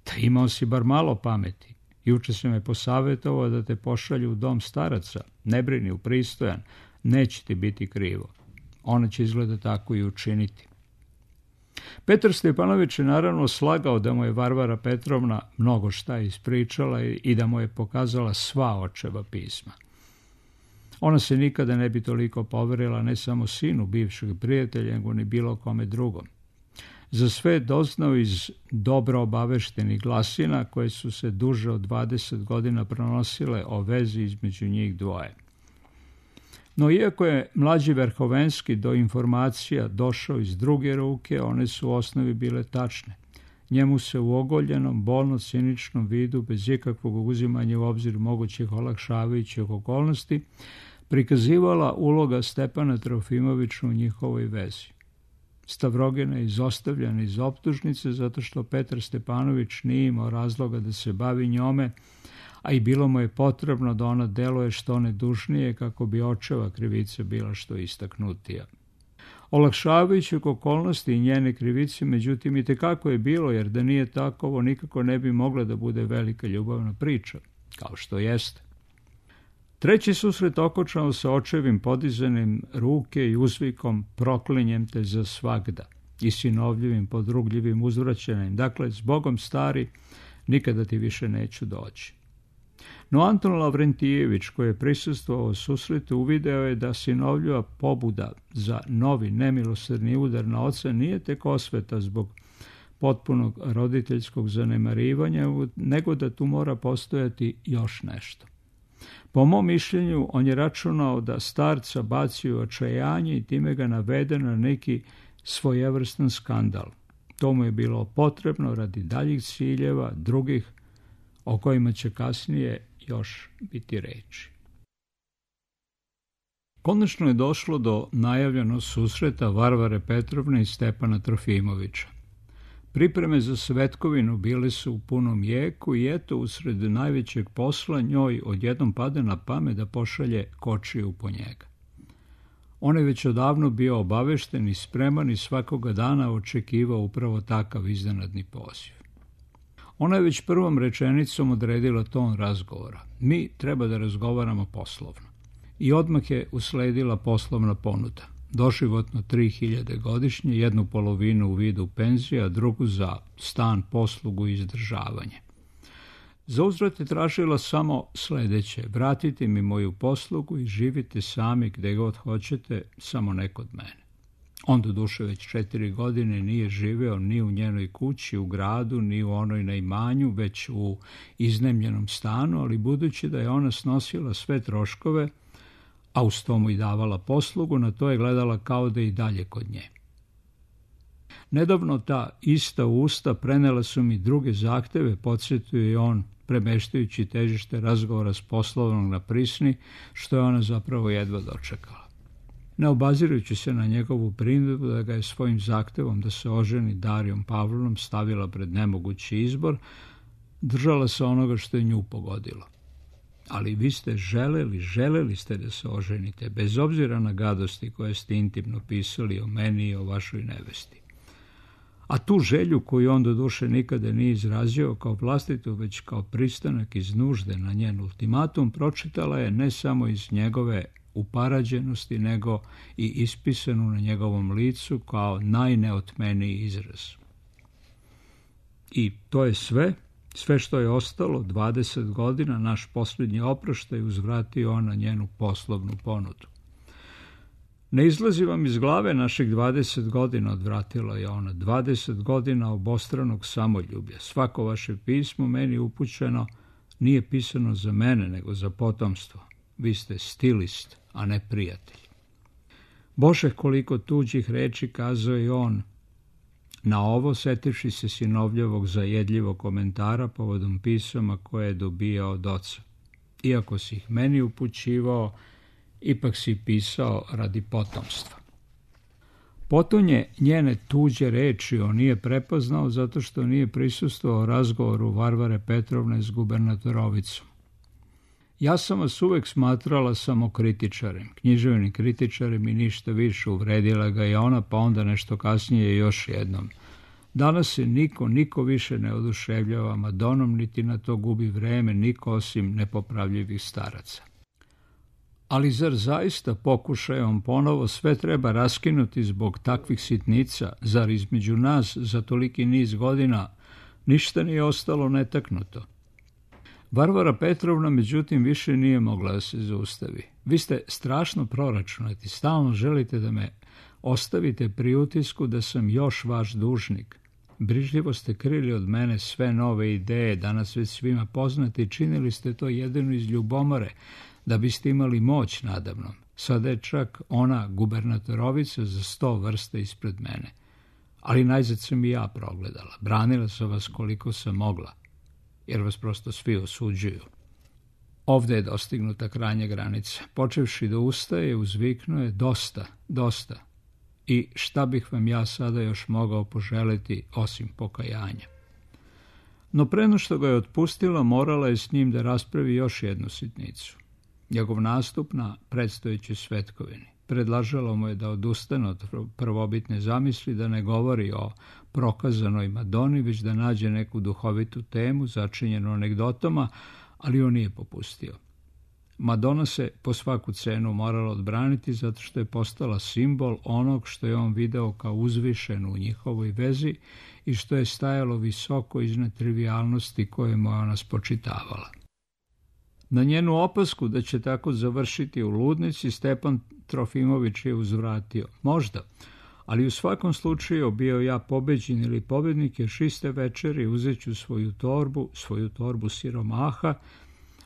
Da imao si bar malo pameti. Juče se me posavjetovao da te pošalju u dom staraca. Ne brini, upristojan, neće ti biti krivo. Ona će izgleda tako i učiniti. Petar Stepanović je naravno slagao da mu je Varvara Petrovna mnogo šta ispričala i da mu je pokazala sva očeva pisma. Ona se nikada ne bi toliko poverila ne samo sinu bivšeg prijatelja, nego ni bilo kome drugom. Za sve je doznao iz dobro obaveštenih glasina koje su se duže od 20 godina pronosile o vezi između njih dvoje. No iako je mlađi Verhovenski do informacija došao iz druge ruke, one su u osnovi bile tačne. Njemu se u ogoljenom, bolno-ciničnom vidu, bez ikakvog uzimanja u obzir mogućih olakšavajućih okolnosti, prikazivala uloga Stepana Trofimovića u njihovoj vezi. Stavrogina je izostavljena iz optužnice zato što Petar Stepanović nije imao razloga da se bavi njome, a i bilo mu je potrebno da ona deluje što nedužnije kako bi očeva krivica bila što istaknutija. Olakšavajućih okolnosti i njene krivice, međutim, i tekako je bilo, jer da nije tako, ovo nikako ne bi mogla da bude velika ljubavna priča, kao što jeste. Treći susret okončao sa očevim podizanjem ruke i uzvikom "proklinjem te za svagda" i sinovljivim podrugljivim uzvraćanjem. Dakle, "Zbogom stari, nikada ti više neću doći." No Anton Lavrentijević, koji je prisustvovao susretu, uvideo je da sinovljiva pobuda za novi nemilosrdni udar na oca nije tek osveta zbog potpunog roditeljskog zanemarivanja, nego da tu mora postojati još nešto. Po mom mišljenju, on je računao da starca baci u očajanje i time ga navede na neki svojevrstan skandal. To mu je bilo potrebno radi daljih ciljeva, drugih, o kojima će kasnije još biti reči. Konačno je došlo do najavljenog susreta Varvare Petrovne i Stepana Trofimovića. Pripreme za svetkovinu bile su u punom jeku i eto, usred najvećeg posla njoj odjednom pada na pamet da pošalje kočiju po njega. On je već odavno bio obavešten i spreman i svakoga dana očekivao upravo takav iznenadni poziv. Ona je već prvom rečenicom odredila ton razgovora. Mi treba da razgovaramo poslovno. I odmah je usledila poslovna ponuda. Doživotno 3.000 godišnje, jednu polovinu u vidu penzije, a drugu za stan, poslugu i izdržavanje. Za uzvrat je tražila samo sledeće: vratite mi moju poslugu i živite sami gde god hoćete, samo ne kod mene. On doduše već 4 godine nije živeo ni u njenoj kući u gradu, ni u onoj na imanju, već u iznajmljenom stanu, ali budući da je ona snosila sve troškove, a uz to mu i davala poslugu, na to je gledala kao da i dalje kod nje. Nedavno ta ista usta prenela su mi druge zahteve, podsjetio je on, premeštajući težište razgovora s poslovnog na prisni, što je ona zapravo jedva dočekala. Ne obazirujući se na njegovu primjedbu da ga je svojim zahtevom da se oženi Darijom Pavlovnom stavila pred nemogući izbor, držala se onoga što je nju pogodilo. Ali vi ste želeli ste da se oženite, bez obzira na gadosti koje ste intimno pisali o meni i o vašoj nevesti. A tu želju, koju on doduše nikada nije izrazio kao vlastitu, već kao pristanak iz nužde na njen ultimatum, pročitala je ne samo iz njegove uparađenosti, nego i ispisanu na njegovom licu kao najneotmeniji izraz. I to je sve što je ostalo. 20 godina, naš posljednji oproštaj, uzvratio on na njenu poslovnu ponudu. Ne izlazi vam iz glave naših 20 godina, odvratila je ona, 20 godina obostranog samoljublja. Svako vaše pismo meni upućeno nije pisano za mene, nego za potomstvo. Vi ste stilist, a ne prijatelj. Bože, koliko tuđih reči, kazao je on. Na ovo, setivši se sinovljevog zajedljivog komentara povodom pisama koje je dobijao od oca. Iako si ih meni upućivao, ipak si pisao radi potomstva. Potonje njene tuđe reči on nije prepoznao zato što nije prisustvovao razgovoru Varvare Petrovne s gubernatorovicom. Ja sam vas uvek smatrala samo kritičarem, književnim kritičarem i ništa više, uvredila ga je ona, pa onda nešto kasnije još jednom. Danas se niko više ne oduševljava Madonom, niti na to gubi vreme, niko osim nepopravljivih staraca. Ali zar zaista, pokušajom ponovo, sve treba raskinuti zbog takvih sitnica? Zar između nas za toliki niz godina ništa nije ostalo netaknuto? Varvara Petrovna, međutim, više nije mogla da se zaustavi. Vi ste strašno proračunati, stalno želite da me ostavite pri utisku da sam još vaš dužnik. Brižljivo ste krili od mene sve nove ideje, danas već svima poznati, činili ste to jedino iz ljubomore, da biste imali moć nadamnom. Sada je čak ona gubernatorovica za 100 vrsta ispred mene. Ali najzad sam i ja progledala. Branila sam vas koliko sam mogla, jer vas prosto svi osuđuju. Ovde je dostignuta krajnja granica. Počevši da ustaje, uzviknuo je dosta, dosta. I šta bih vam ja sada još mogao poželiti osim pokajanja? No preno što ga je otpustila, morala je s njim da raspravi još jednu sitnicu. Njegov nastup na predstojećoj svetkovini. Predlažalo mu je da odustane od prvobitne zamisli, da ne govori o prokazanoj Madoni, već da nađe neku duhovitu temu začinjenu anegdotama, ali on nije popustio. Madona se po svaku cenu morala odbraniti zato što je postala simbol onog što je on video kao uzvišeno u njihovoj vezi i što je stajalo visoko iznad trivijalnosti koje mu je ona spočitavala. Na njenu opasku da će tako završiti u ludnici, Stepan Trofimović je uzvratio. Možda, ali u svakom slučaju bio ja pobeđen ili pobednik, jer iste večeri uzet ću svoju torbu siromaha,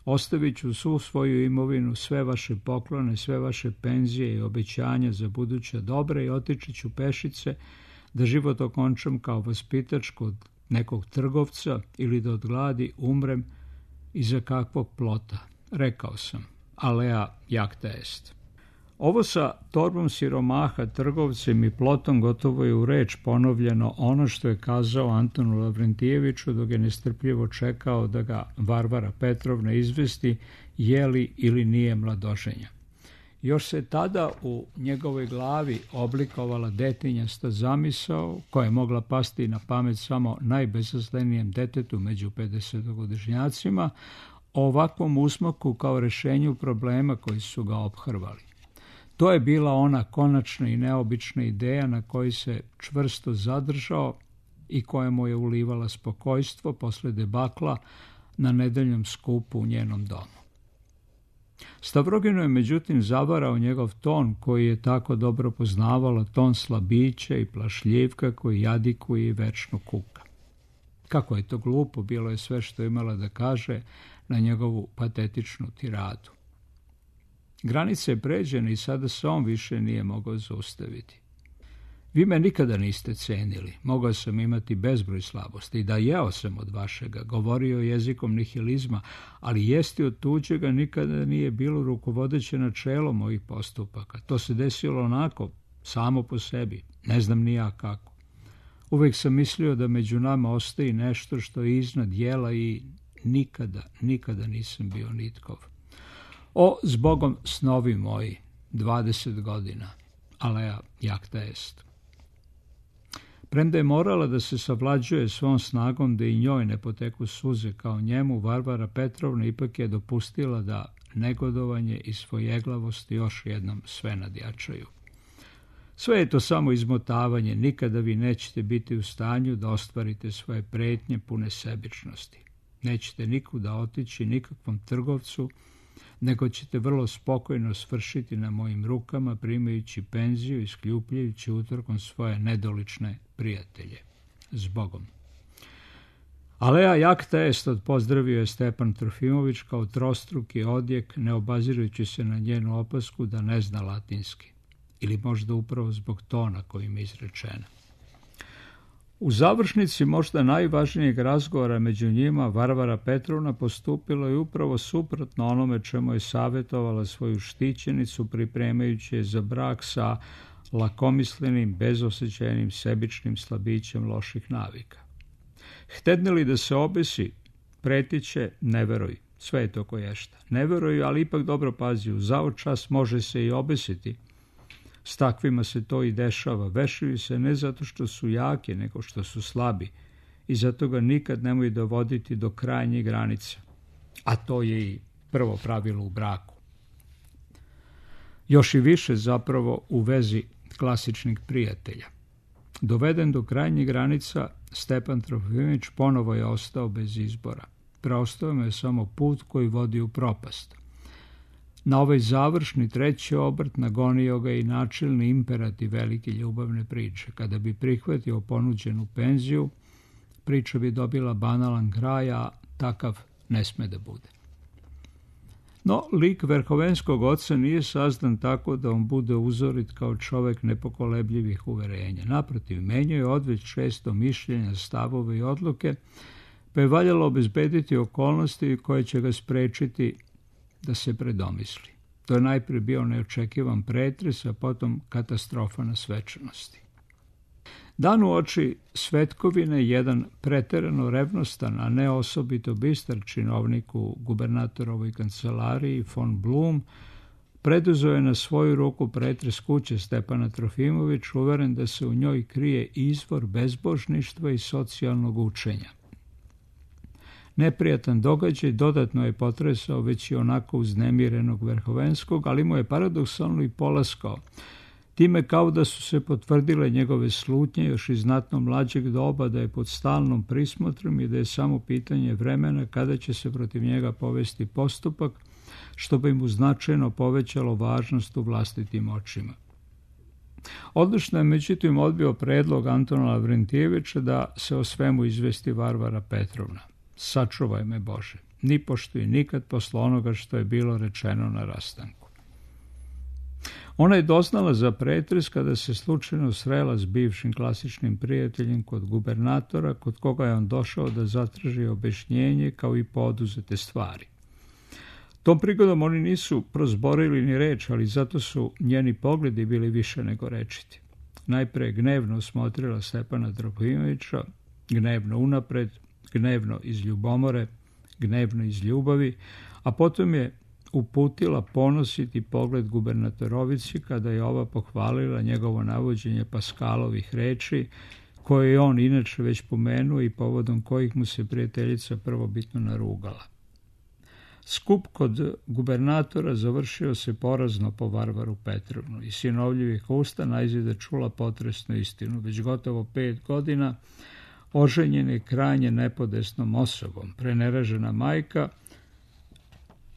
ostavit ću svu svoju imovinu, sve vaše poklone, sve vaše penzije i obećanja za buduća dobra i otići ću pešice da život okončam kao vaspitač kod nekog trgovca ili da od gladi umrem iza kakvog plota. Rekao sam, alea jacta est. Ovo sa torbom siromaha, trgovcem i plotom gotovo je u reč ponovljeno ono što je kazao Antonu Lavrentijeviću dok je nestrpljivo čekao da ga Varvara Petrovna izvesti je li ili nije mladoženja. Još se tada u njegovoj glavi oblikovala detinjasta zamisao koja je mogla pasti na pamet samo najbezaslenijem detetu među 50-godišnjacima o ovakvom usmaku kao rešenju problema koji su ga ophrvali. To je bila ona konačna i neobična ideja na kojoj se čvrsto zadržao i koja mu je ulivala spokojstvo posle debakla na nedeljnom skupu u njenom domu. Stavroginu je međutim zavarao njegov ton koji je tako dobro poznavala, ton slabića i plašljivka koji jadikuje i večno kuka. Kako je to glupo, bilo je sve što je imala da kaže na njegovu patetičnu tiradu. Granica je pređena i sada se on više nije mogao zaustaviti. Vi me nikada niste cenili, mogao sam imati bezbroj slabosti i da jeo sam od vašega, govorio jezikom nihilizma, ali jesti od tuđega nikada nije bilo rukovodeće načelo mojih postupaka. To se desilo onako, samo po sebi, ne znam ni ja kako. Uvijek sam mislio da među nama ostaje nešto što je iznad jela i nikada nisam bio nitkov. O, zbogom snovi moji, 20 godina, alea jacta est. Premda je morala da se savlađuje svom snagom da i njoj ne poteku suze kao njemu, Varvara Petrovna ipak je dopustila da negodovanje i svojeglavost još jednom sve nadjačaju. Sve je to samo izmotavanje, nikada vi nećete biti u stanju da ostvarite svoje pretnje pune sebičnosti. Nećete nikuda otići, nikakvom trgovcu, nego ćete vrlo spokojno svršiti na mojim rukama, primajući penziju i skljupljajući utorkom svoje nedolične prijatelje. Zbogom. Alea jacta est, odpozdravio je Stepan Trofimović kao trostruki odjek, ne obazirujući se na njenu opasku da ne zna latinski. Ili možda upravo zbog tona kojim je izrečena. U završnici možda najvažnijeg razgovora među njima Varvara Petrovna postupila je upravo suprotno onome čemu je savjetovala svoju štićenicu pripremajući je za brak sa lakomislenim, bezosjećajnim, sebičnim slabićem loših navika. Htedne li da se obesi, pretiće, ne veruj, sve je to koješta. Ne veruj, ali ipak dobro pazi, u zao čas može se i obesiti. S takvima se to i dešava. Vešaju se ne zato što su jake, nego što su slabi i zato ga nikad nemoj dovoditi do krajnje granice. A to je i prvo pravilo u braku. Još i više zapravo u vezi klasičnih prijatelja. Doveden do krajnjih granica, Stepan Trofimović ponovo je ostao bez izbora. Preostao mu je samo put koji vodi u propast. Na ovaj završni treći obrt nagonio ga i načelni imperativ velike ljubavne priče. Kada bi prihvatio ponuđenu penziju, priča bi dobila banalan kraj, a takav ne sme da bude. No, lik verhovenskog oca nije sazdan tako da on bude uzorit kao čovek nepokolebljivih uverenja. Naprotiv, menjao je odveć često mišljenja, stavove i odluke, pa je valjalo obezbediti okolnosti koje će ga sprečiti da se predomisli. To je najprije bio neočekivan pretres, a potom katastrofa na svečanosti. Dan u oči svetkovine jedan preterano revnostan, a ne osobito bistar činovnik u gubernatorovoj kancelariji, von Blum, preduzeo je na svoju ruku pretres kuće Stepana Trofimovića, uveren da se u njoj krije izvor bezbožništva i socijalnog učenja. Neprijatan događaj dodatno je potresao već i onako uznemirenog Verhovenskog, ali mu je paradoksalno i polaskao, time kao da su se potvrdile njegove slutnje još iz znatno mlađeg doba, da je pod stalnom prismotrom i da je samo pitanje vremena kada će se protiv njega povesti postupak, što bi mu značajno povećalo važnost u vlastitim očima. Odlučno je međutim odbio predlog Antona Lavrentijevića da se o svemu izvesti Varvara Petrovna. Sačuvaj me Bože, nipošto i nikad posle onoga što je bilo rečeno na rastanku. Ona je doznala za pretres kada se slučajno srela s bivšim klasičnim prijateljem kod gubernatora, kod koga je on došao da zatraži objašnjenje kao i poduzete stvari. Tom prigodom oni nisu prozborili ni reč, ali zato su njeni pogledi bili više nego rečiti. Najpre gnevno smotrila Stepana Trofimovića, gnevno unapred, gnevno iz ljubomore, gnevno iz ljubavi, a potom je uputila ponositi pogled gubernatorovici kada je ova pohvalila njegovo navođenje Paskalovih reči, koje je on inače već pomenuo i povodom kojih mu se prijateljica prvobitno narugala. Skup kod gubernatora završio se porazno po Varvaru Petrovnu i sinovljivih usta najzide čula potresnu istinu. Već gotovo 5 godina oženjen je krajnje nepodesnom osobom. Preneražena majka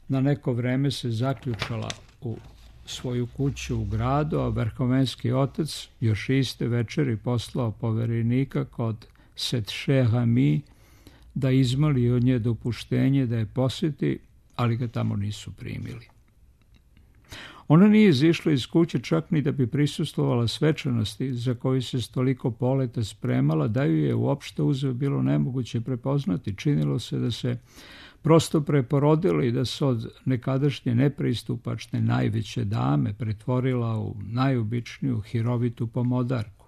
na neko vreme se zaključala u svoju kuću u gradu, a verhovenski otac još iste večeri poslao poverenika kod Setšehami da izmoli od nje dopuštenje da je posjeti, ali ga tamo nisu primili. Ona nije izišla iz kuće čak ni da bi prisustvovala svečanosti za koju se s toliko poleta spremala, da ju je uopšte uzeo bilo nemoguće prepoznati. Činilo se da se prosto preporodila i da se od nekadašnje nepristupačne najveće dame pretvorila u najobičniju hirovitu pomodarku.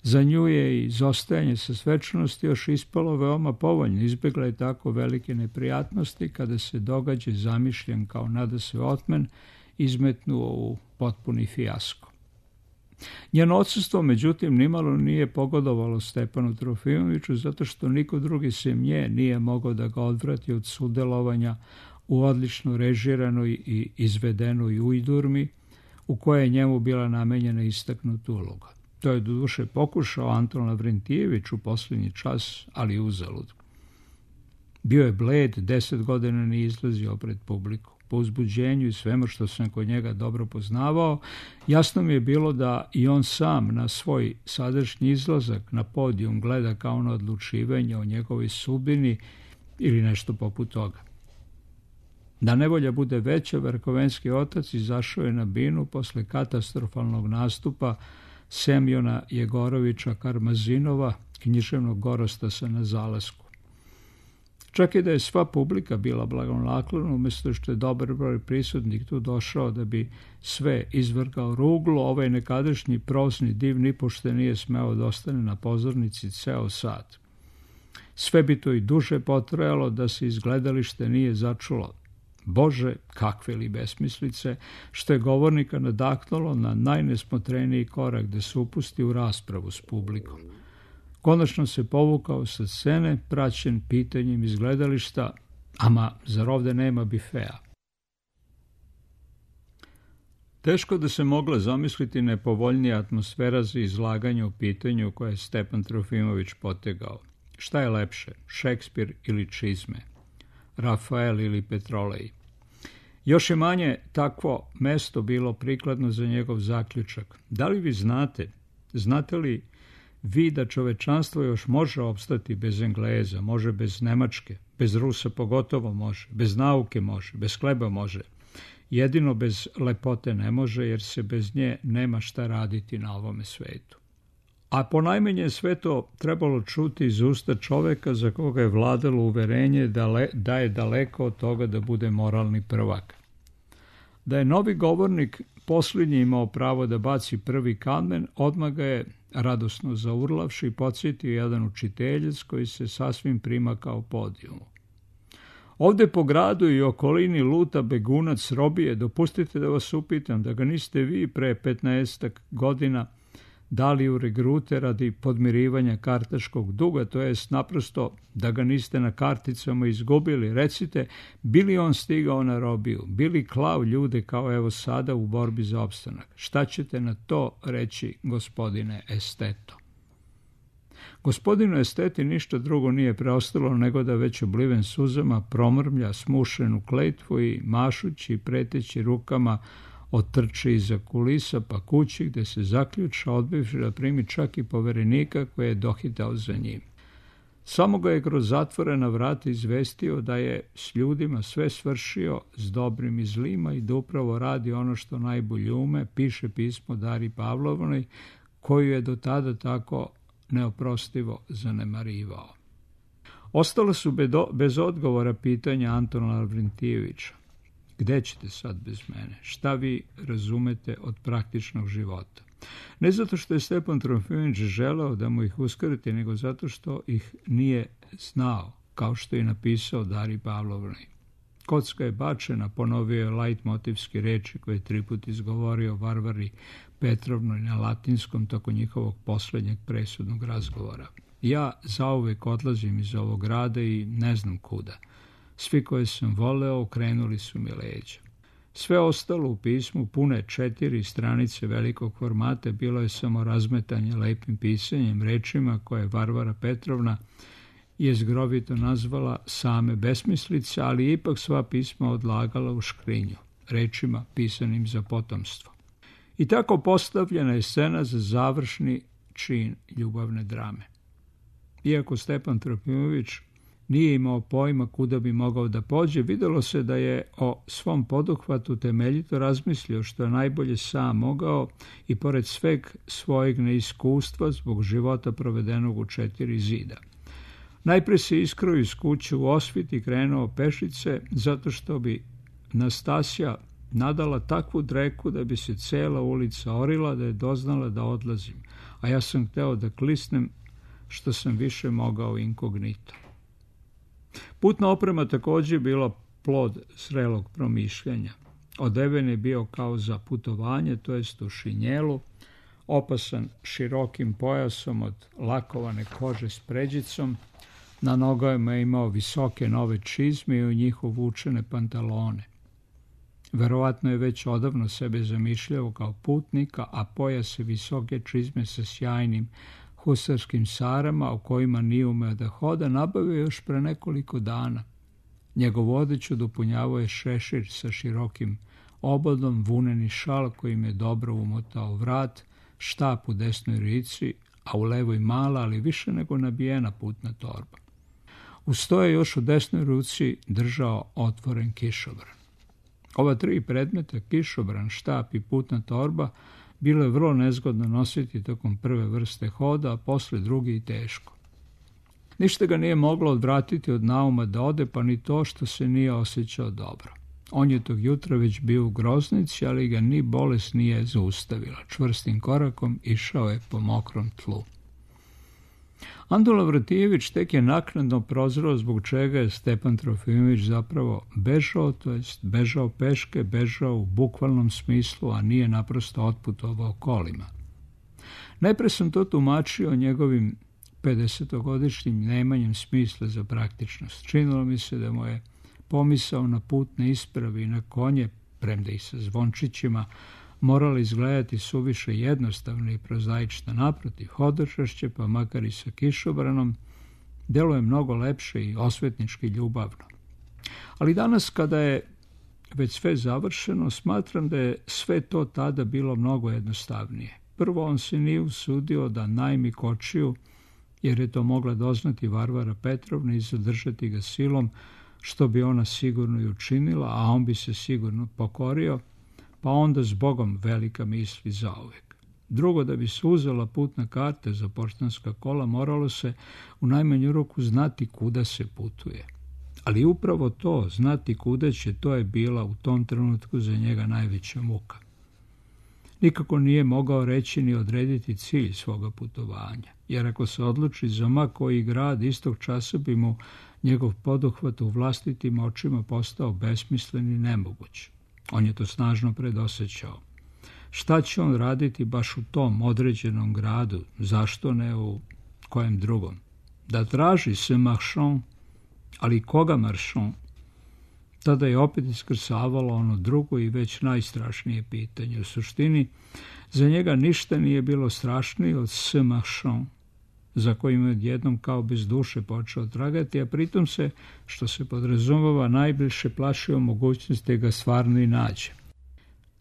Za nju je i izostajanje sa svečanosti još ispalo veoma povoljno. Izbjegla je tako velike neprijatnosti kada se događaj zamišljen kao nadasve otmen izmetnuo u potpuni fijasko. Njeno odsustvo, međutim, nimalo nije pogodovalo Stepanu Trofimoviću, zato što niko drugi sem nje nije mogao da ga odvrati od sudelovanja u odlično režiranoj i izvedenoj ujdurmi, u kojoj je njemu bila namenjena istaknuta uloga. To je doduše pokušao Anton Lavrentijević u posljednji čas, ali uzalud. Bio je bled, 10 godina nije izlazio pred publiku. Po uzbuđenju i svemu što sam kod njega dobro poznavao, jasno mi je bilo da i on sam na svoj sadašnji izlazak na podijum gleda kao na odlučivanje o njegovoj sudbini ili nešto poput toga. Da nevolja bude veća, verhovenski otac izašao je na binu posle katastrofalnog nastupa Semjona Jegorovića Karmazinova, književnog gorostasa na zalasku. Čak i da je sva publika bila blagonaklona, umjesto što je dobar broj prisutnih tu došao da bi sve izvrgao ruglu, ovaj nekadašnji prozni div nipošte nije smeo da ostane na pozornici ceo sat. Sve bi to i duže potrajalo da se iz gledalište nije začulo. Bože, kakve li besmislice, što je govornika nadahnulo na najnesmotreniji korak da se upusti u raspravu s publikom. Konačno se povukao sa scene, praćen pitanjem iz gledališta, ama zar ovde nema bifea? Teško da se mogla zamisliti nepovoljnija atmosfera za izlaganje o pitanju koje je Stepan Trofimović potegao. Šta je lepše, Šekspir ili čizme? Rafael ili Petrolej? Još je manje takvo mesto bilo prikladno za njegov zaključak. Da li vi znate li vi da čovečanstvo još može opstati bez Engleza, može bez Nemačke, bez Rusa pogotovo može, bez nauke može, bez hleba može. Jedino bez lepote ne može, jer se bez nje nema šta raditi na ovome svetu. A ponajmanje sve to trebalo čuti iz usta čoveka za koga je vladalo uverenje da je daleko od toga da bude moralni prvak. Da je novi govornik posljednji imao pravo da baci prvi kamen, odmah ga je radosno zaurlavši podsjetio jedan učiteljac koji se sasvim primakao podijumu. Ovde po gradu i okolini luta begunac robije, dopustite da vas upitam da ga niste vi pre 15 godina dali u regrute radi podmirivanja kartaškog duga, to jest naprosto da ga niste na karticama izgubili. Recite, bili on stigao na robiju, bili klao ljude kao evo sada u borbi za opstanak. Šta ćete na to reći, gospodine Esteto? Gospodinu Esteti ništa drugo nije preostalo nego da već obliven suzama promrmlja smušenu kletvu i mašući i preteći rukama otrči iza kulisa pa kući gde se zaključa odbivši da primi čak i poverenika koji je dohitao za njim. Samo ga je kroz zatvorena vrata izvestio da je s ljudima sve svršio s dobrim i zlima i da upravo radi ono što najbolje ume, piše pismo Dari Pavlovnoj koju je do tada tako neoprostivo zanemarivao. Ostalo su bez odgovora pitanja Antona Lavrentijevića. Gde ćete sad bez mene? Šta vi razumete od praktičnog života? Ne zato što je Stepan Trofimović želeo da mu ih uskrati, nego zato što ih nije znao, kao što je napisao Dari Pavlovnoj. Kocka je bačena, ponovio je lajtmotivski reči koje je 3 put izgovorio Varvari Petrovnoj na latinskom toko njihovog poslednjeg presudnog razgovora. Ja zauvek odlazim iz ovog grada i ne znam kuda. Svi koje sam voleo okrenuli su mi leđa. Sve ostalo u pismu, pune 4 stranice velikog formata, bilo je samo razmetanje lepim pisanjem, rečima koje Varvara Petrovna je zgrovito nazvala same besmislice, ali ipak sva pisma odlagala u škrinju, rečima pisanim za potomstvo. I tako postavljena je scena za završni čin ljubavne drame. Iako Stepan Trofimović nije imao pojma kuda bi mogao da pođe, videlo se da je o svom poduhvatu temeljito razmislio što je najbolje sam mogao i pored sveg svojeg neiskustva zbog života provedenog u 4 zida. Najpre se iskroju iz kuće u Osvit i krenuo pešice zato što bi Nastasija nadala takvu dreku da bi se cela ulica orila da je doznala da odlazim, a ja sam hteo da klisnem što sam više mogao inkognito. Putna oprema također bila plod zrelog promišljanja. Odeven je bio kao za putovanje, to jest u šinjelu, opasan širokim pojasom od lakovane kože s pređicom, na nogama je imao visoke nove čizme i u njih uvučene pantalone. Verovatno je već odavno sebe zamišljao kao putnika, a pojas je visoke čizme sa sjajnim husarskim sarama o kojima nije umeo da hoda, nabavio još pre nekoliko dana. Njegovu odeću dopunjavao je šešir sa širokim obodom, vuneni šal kojim je dobro umotao vrat, štap u desnoj ruci, a u levoj mala, ali više nego nabijena putna torba. Uz to je još u desnoj ruci držao otvoren kišobran. Ova 3 predmeta, kišobran, štap i putna torba, bilo je vrlo nezgodno nositi tokom prve vrste hoda, a posle drugi i teško. Ništa ga nije moglo odvratiti od nauma da ode, pa ni to što se nije osjećao dobro. On je tog jutra već bio u groznici, ali ga ni bolest nije zaustavila. Čvrstim korakom išao je po mokrom tlu. Anton Lavrentijević tek je naknadno prozreo zbog čega je Stepan Trofimović zapravo bežao, to jest bežao peške, bežao u bukvalnom smislu, a nije naprosto otputovao kolima. Najpre sam to tumačio njegovim 50-godišnjim nemanjem smisla za praktičnost. Činilo mi se da mu je pomisao na putne isprave i na konje, premda i sa zvončićima, morala izgledati suviše jednostavno i prozaično. Naprotiv, hodočašće, pa makar i sa kišobranom, deluje mnogo lepše i osvetnički ljubavno. Ali danas, kada je već sve završeno, smatram da je sve to tada bilo mnogo jednostavnije. Prvo, on se nije usudio da najmi kočiju, jer je to mogla doznati Varvara Petrovna i zadržati ga silom, što bi ona sigurno i učinila, a on bi se sigurno pokorio, pa onda zbogom velika misli zauvek. Drugo, da bi se uzela putna karta za poštanska kola, moralo se u najmanju ruku znati kuda se putuje. Ali upravo to, znati kuda će, to je bila u tom trenutku za njega najveća muka. Nikako nije mogao reći ni odrediti cilj svoga putovanja, jer ako se odluči za ma koji grad, istog časa bi mu njegov poduhvat u vlastitim očima postao besmislen i nemoguć. On je to snažno predosjećao. Šta će on raditi baš u tom određenom gradu, zašto ne u kojem drugom? Da traži se marchand, ali koga marchand? Tada je opet iskrsavalo ono drugo i već najstrašnije pitanje. U suštini, za njega ništa nije bilo strašnije od ce marchand, za kojim je odjednom kao bez duše počeo tragati, a pritom se, što se podrazumeva, najbliže plašio mogućnosti da ga stvarno i nađe.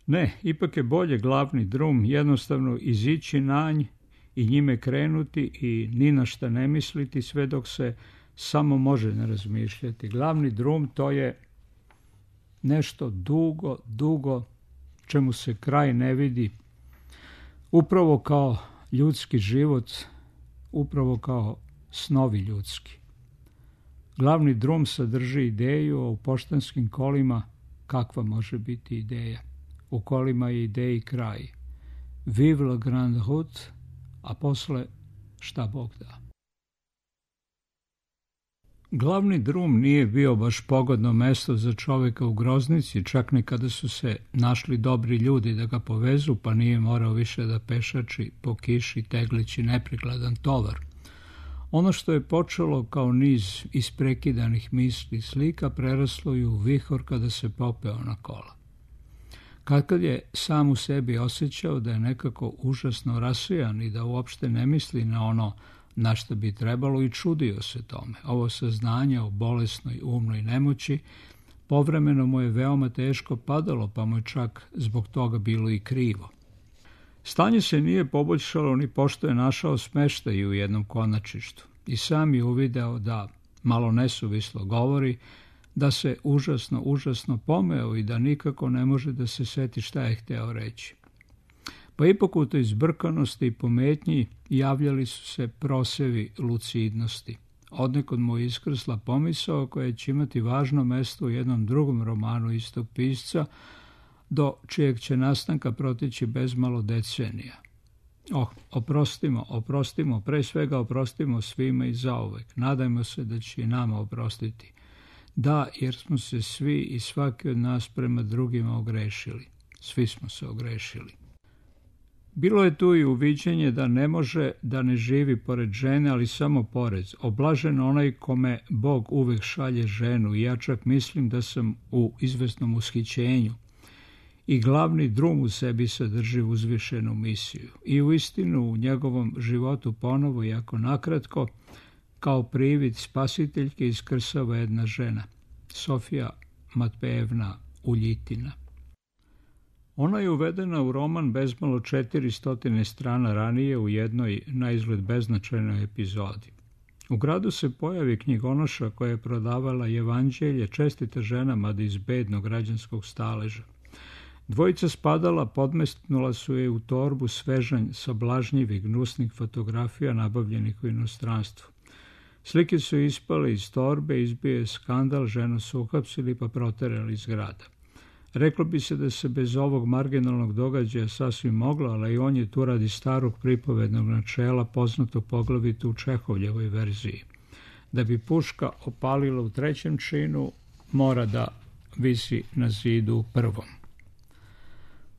Ne, ipak je bolje glavni drum jednostavno izići na nj i njime krenuti i ni na šta ne misliti sve dok se samo može ne razmišljati. Glavni drum to je nešto dugo, dugo, čemu se kraj ne vidi, upravo kao ljudski život, upravo kao snovi ljudski. Glavni drum sadrži ideju, a u poštanskim kolima kakva može biti ideja? U kolima je ideji kraj. Vive la grande route, a posle šta Bog da. Glavni drum nije bio baš pogodno mesto za čoveka u groznici, čak ni kada su se našli dobri ljudi da ga povezu, pa nije morao više da pešači po kiši teglići neprikladan tovar. Ono što je počelo kao niz isprekidanih misli i slika preraslo i u vihor kada se popeo na kola. Kad je sam u sebi osjećao da je nekako užasno rasijan i da uopšte ne misli na ono na što bi trebalo i čudio se tome. Ovo saznanje o bolesnoj umnoj nemoći povremeno mu je veoma teško padalo, pa mu je čak zbog toga bilo i krivo. Stanje se nije poboljšalo ni pošto je našao smeštaj u jednom konačištu i sam je uvideo da, malo nesuvislo govori, da se užasno pomeo i da nikako ne može da se seti šta je hteo reći. Pa ipak u toj zbrkanosti i pometnji javljali su se prosevi lucidnosti. Odnekad mu je iskrsla pomisao koja će imati važno mesto u jednom drugom romanu istog pisca, do čijeg će nastanka proteći bezmalo decenija. Oprostimo, pre svega oprostimo svima i zauvek. Nadajmo se da će i nama oprostiti. Da, jer smo se svi i svaki od nas prema drugima ogrešili. Svi smo se ogrešili. Bilo je tu i uviđenje da ne može da ne živi pored žene, ali samo pored. Oblažen onaj kome Bog uvek šalje ženu i ja čak mislim da sam u izvesnom ushićenju. I glavni drum u sebi sadrži uzvišenu misiju. I uistinu u njegovom životu ponovo, iako nakratko, kao privid spasiteljke iskrsava jedna žena, Sofija Matpejevna Uljitina. Ona je uvedena u roman bezmalo 400 strana ranije u jednoj naizgled beznačajnoj epizodi. U gradu se pojavi knjigonoša koja je prodavala evanđelje, čestita žena, mada iz bednog građanskog staleža. Dvojica spadala podmestnula su je u torbu svežanj sablažnjivih gnusnih fotografija nabavljenih u inostranstvu. Slike su ispale iz torbe, izbio je skandal, ženu su uhapsili pa proterali iz grada. Reklo bi se da se bez ovog marginalnog događaja sasvim moglo, ali i on je tu radi starog pripovednog načela, poznato poglavito u Čehovljevoj verziji. Da bi puška opalila u trećem činu, mora da visi na zidu u prvom.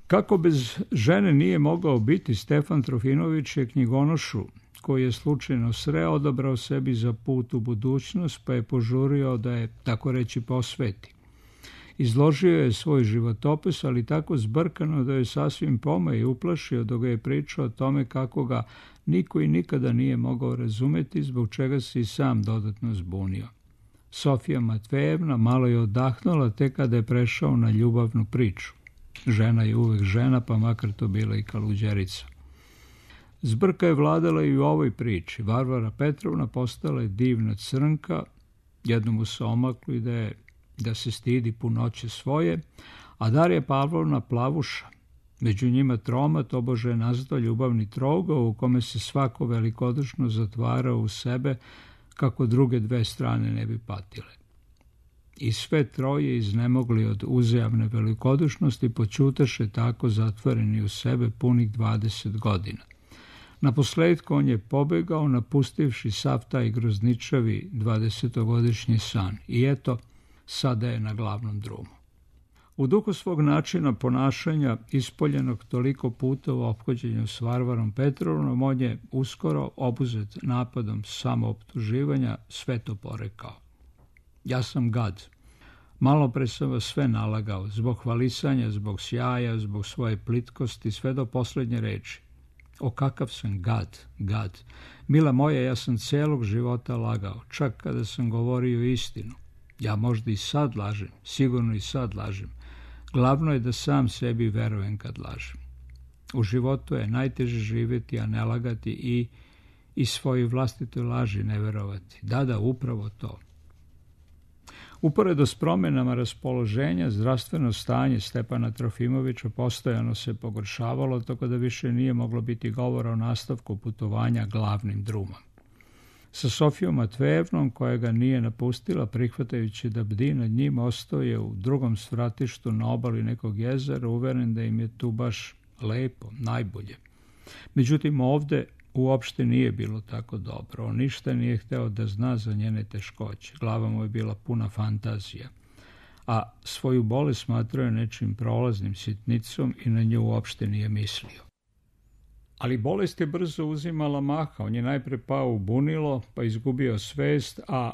Kako bez žene nije mogao biti, Stefan Trofimović je knjigonošu, koji je slučajno sreo, odabrao sebi za put u budućnost, pa je požurio da je, tako reći, posveti. Izložio je svoj životopis, ali tako zbrkano da je sasvim pomeo i uplašio dok ga je pričao o tome kako ga niko i nikada nije mogao razumeti, zbog čega se i sam dodatno zbunio. Sofija Matvejevna malo je odahnula tek kada je prešao na ljubavnu priču. Žena je uvek žena, pa makar to bila i kaluđerica. Zbrka je vladala i u ovoj priči. Varvara Petrovna postala je divna crnka, jednomu se omaklo i da se stidi punoće svoje, a Darija Pavlovna plavuša. Među njima troma tobože je nazvao ljubavni trougao u kome se svako velikodušno zatvarao u sebe kako druge dve strane ne bi patile. I sve troje iznemogli od uzajamne velikodušnosti počutaše tako zatvoreni u sebe punih 20 godina. Naposledku on je pobegao napustivši sav taj grozničavi 20-godišnji san i eto, sada je na glavnom drumu. U duhu svog načina ponašanja, ispoljenog toliko puta u ophođenju s Varvarom Petrovnom, on je uskoro, obuzet napadom samooptuživanja, sve to porekao. Ja sam gad. Malo pre sam vas sve nalagao, zbog hvalisanja, zbog sjaja, zbog svoje plitkosti, sve do poslednje reči. O, kakav sam gad. Mila moja, ja sam celog života lagao, čak kada sam govorio istinu. Ja možda i sad lažem, sigurno i sad lažem. Glavno je da sam sebi verujem kad lažem. U životu je najteže živjeti, a ne lagati i svoje vlastitoj laži ne verovati. Da, upravo to. Uporedo s promjenama raspoloženja, zdravstveno stanje Stepana Trofimovića postojano se pogoršavalo, tako da više nije moglo biti govora o nastavku putovanja glavnim drumom. Sa Sofijom Matvejevnom, koja ga nije napustila, prihvatajući da bdi nad njim, ostao je u drugom svratištu na obali nekog jezera, uveren da im je tu baš lepo, najbolje. Međutim, ovde uopšte nije bilo tako dobro. On ništa nije hteo da zna za njene teškoće. Glava mu je bila puna fantazija. A svoju bolest smatrao je nečim prolaznim, sitnicom i na nju uopšte nije mislio. Ali bolest je brzo uzimala maha. On je najpre pao u bunilo, pa izgubio svest, a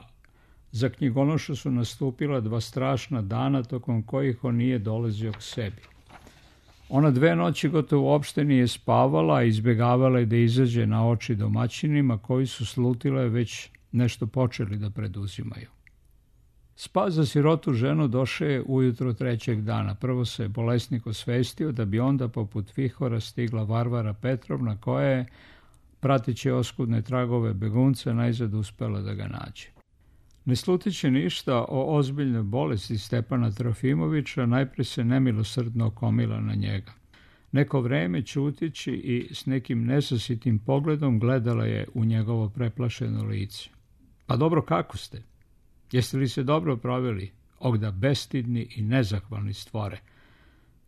za knjigonošu su nastupila 2 strašna dana tokom kojih on nije dolazio k sebi. Ona 2 noći gotovo uopšte nije spavala, a izbjegavala je da izađe na oči domaćinima koji su slutile već nešto počeli da preduzimaju. Spas za sirotu ženu došao je ujutro 3. dana. Prvo se bolesnik osvestio, da bi onda poput vihora stigla Varvara Petrovna, koja je, prateći oskudne tragove begunca, najzad uspela da ga nađe. Ne slutići ništa o ozbiljnoj bolesti Stepana Trofimovića, najpre se nemilosrdno okomila na njega. Neko vreme ćutići i s nekim nesasitim pogledom gledala je u njegovo preplašeno lice. Pa dobro, kako ste? Jeste li se dobro proveli? Ogda bestidni i nezahvalni stvore.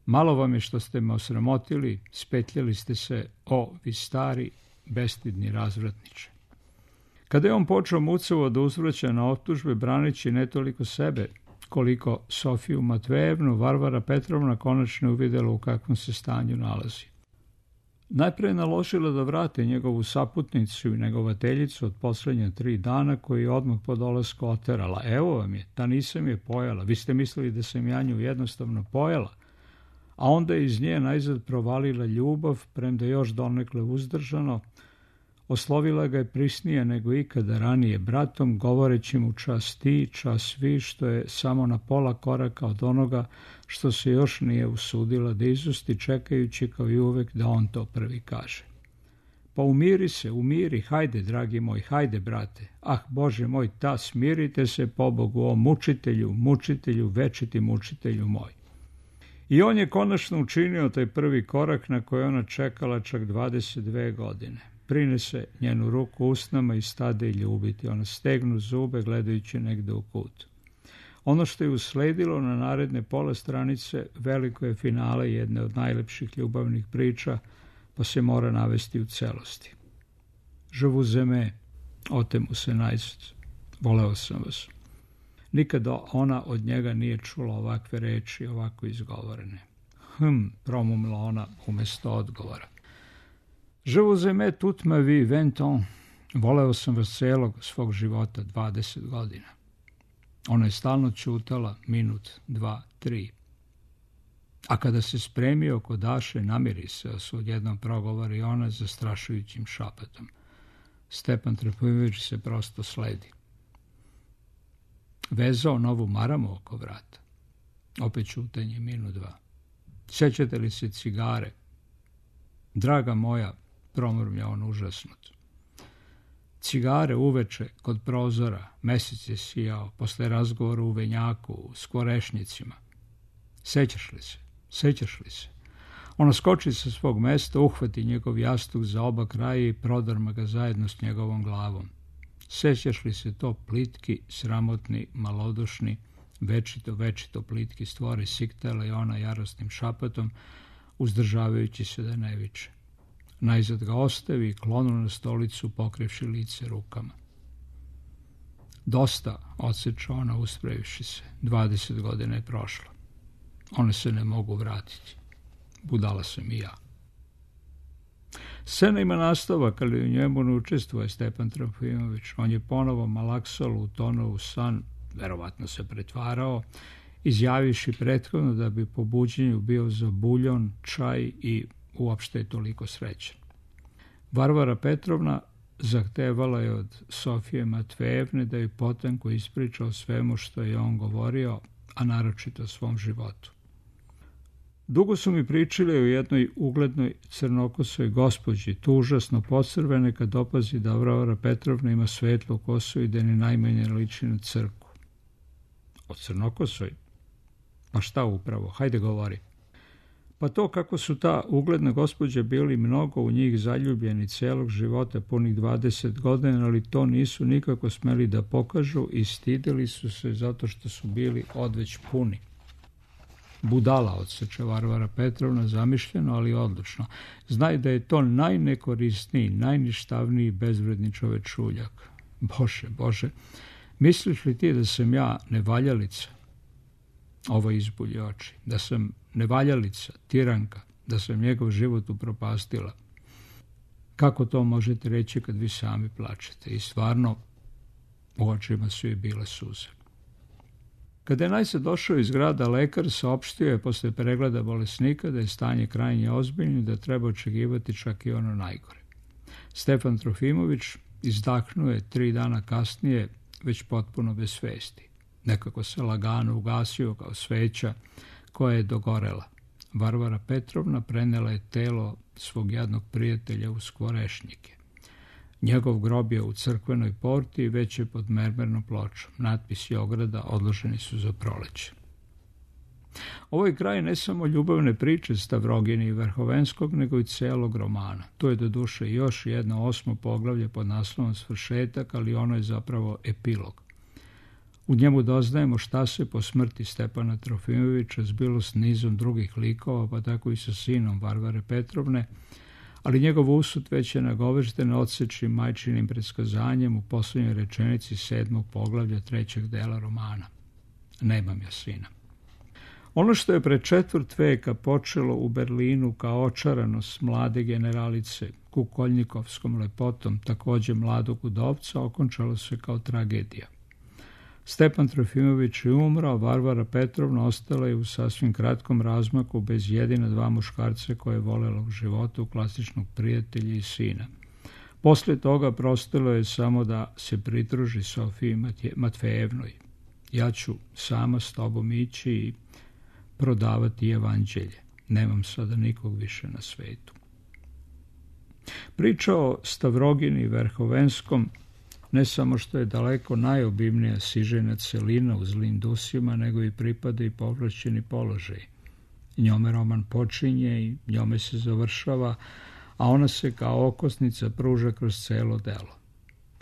Malo vam je što ste me osramotili, spetljali ste se, o, vi stari, bestidni razvratniče. Kada je on počeo mucavo da uzvraća na optužbe, braneći ne toliko sebe, koliko Sofiju Matvejevnu, Varvara Petrovna konačno uvidela u kakvom se stanju nalazi. Najpre je naložila da vrate njegovu saputnicu i negovateljicu od poslednja 3 dana, koju je odmah po dolasku oterala. Evo vam je, ta nisam je pojela, vi ste mislili da sam ja nju jednostavno pojela, a onda je iz nje najzad provalila ljubav, premda još donekle uzdržano, oslovila ga je prisnije nego ikada ranije bratom, govoreći mu čas ti, čas vi, što je samo na pola koraka od onoga što se još nije usudila da izusti, čekajući kao i uvek da on to prvi kaže. Pa umiri se, umiri, hajde, dragi moj, hajde, brate. Ah, Bože moj, ta, smirite se, pobogu, o mučitelju, mučitelju, večiti mučitelju moj. I on je konačno učinio taj prvi korak na koji ona čekala čak 22 godine. Prinese njenu ruku usnama i stade i ljubiti. Ona stegnu zube gledajući negde u kut. Ono što je usledilo na naredne pola stranice veliko je finale jedne od najlepših ljubavnih priča, pa se mora navesti u celosti. Je vous aime, ote mu se najzad. Voleo sam vas. Nikada ona od njega nije čula ovakve reči, ovako izgovorene. Promumla ona umesto odgovora. Je vous aime toute ma vie, 20 ans. Voleo sam vas celog svog života, 20 godina. Ona je stalno ćutala, minut, 2, 3. A kada se spremio kod Daše, namiri se, odjednom progovori ona zastrašujućim šapetom. Stepan Trofimović se prosto sledi. vezao novu maramu oko vrata. Opet ćutanje, minut, dva. Sećate li se cigare? Draga moja, promrmlja on užasnut. Cigare uveče kod prozora, mesec je sijao, posle razgovora u venjaku, u skvorešnicima. Sećaš li se? Sećaš li se? Ona skoči sa svog mesta, uhvati njegov jastuk za oba kraja i prodrma ga zajedno s njegovom glavom. Sećaš li se to plitki, sramotni, malodušni, večito plitki stvori, siktala je ona jarostnim šapatom, uzdržavajući se da ne viče. Najzad ga ostavi i klonu na stolicu, pokrivši lice rukama. Dosta, odseče ona uspravivši se. 20 godina je prošlo. One se ne mogu vratiti. Budala sam i ja. Scena ima nastavak, ali u njemu ne učestvuje Stepan Trofimović. On je ponovo malaksalo utonuo u san, verovatno se pretvarao, izjaviši prethodno da bi po buđenju bio za buljon, čaj i uopšte je toliko srećan. Varvara Petrovna zahtevala je od Sofije Matvejevne da joj potanko ispriča o svemu što je on govorio, a naročito o svom životu. Dugo su mi pričali o jednoj uglednoj crnokosoj gospođi, tu užasno posrvene kad opazi da Varvara Petrovna ima svetlu kosu i da ni najmanje liči na crku. O crnokosoj? Pa šta upravo? Hajde govori. Pa to kako su ta ugledna gospođa bili mnogo u njih zaljubljeni celog života, punih 20 godina, ali to nisu nikako smeli da pokažu i stideli su se zato što su bili odveć puni. Budala, odseče Varvara Petrovna, zamišljeno, ali odlučno. Znaj da je to najnekorisniji, najništavniji bezvredni čovečuljak. Bože, misliš li ti da sam ja nevaljalica? Ovo izbulje oči. Da sam nevaljalica, tiranka, da sam njegov život upropastila. Kako to možete reći kad vi sami plačete? I stvarno, u očima su i bile suze. Kada je najzad došao iz grada, lekar saopštio je posle pregleda bolesnika da je stanje krajnje ozbiljno i da treba očekivati čak i ono najgore. Stefan Trofimović izdahnuo je 3 dana kasnije, već potpuno bez svesti. Nekako se lagano ugasio kao sveća koja je dogorela. Varvara Petrovna prenela je telo svog jadnog prijatelja u skvorešnjike. Njegov grob je u crkvenoj porti i već je pod mermernom pločom. Natpisi ograda odloženi su za proleće. Ovo je kraj ne samo ljubavne priče Stavrogina i Verhovenskog, nego i celog romana. To je doduše još jedno 8. poglavlje pod naslovom Svršetak, ali ono je zapravo epilog. U njemu doznajemo šta se po smrti Stepana Trofimovića zbilo s nizom drugih likova, pa tako i sa sinom Varvare Petrovne, ali njegov usud već je nagovešten odsečnim majčinim predskazanjem u poslednjoj rečenici 7. poglavlja 3. dela romana. Nemam ja sina. Ono što je pre 4 veka počelo u Berlinu kao očaranost mlade generalice kukoljnikovskom lepotom, takođe mladog udovca, okončalo se kao tragedija. Stepan Trofimović je umrao, Varvara Petrovna ostala je u sasvim kratkom razmaku bez jedina 2 muškarca koje je volela u životu, klasičnog prijatelja i sina. Posle toga prostilo je samo da se pridruži Sofiji Matvejevnoj. Ja ću sama s tobom ići i prodavati evanđelje. Nemam sada nikog više na svetu. Priča o Stavrogini i Verhovenskom ne samo što je daleko najobimnija sižena celina u Zlim dusima, nego i pripada i povlašćeni položaj. Njome roman počinje i njome se završava, a ona se kao okosnica pruža kroz celo delo.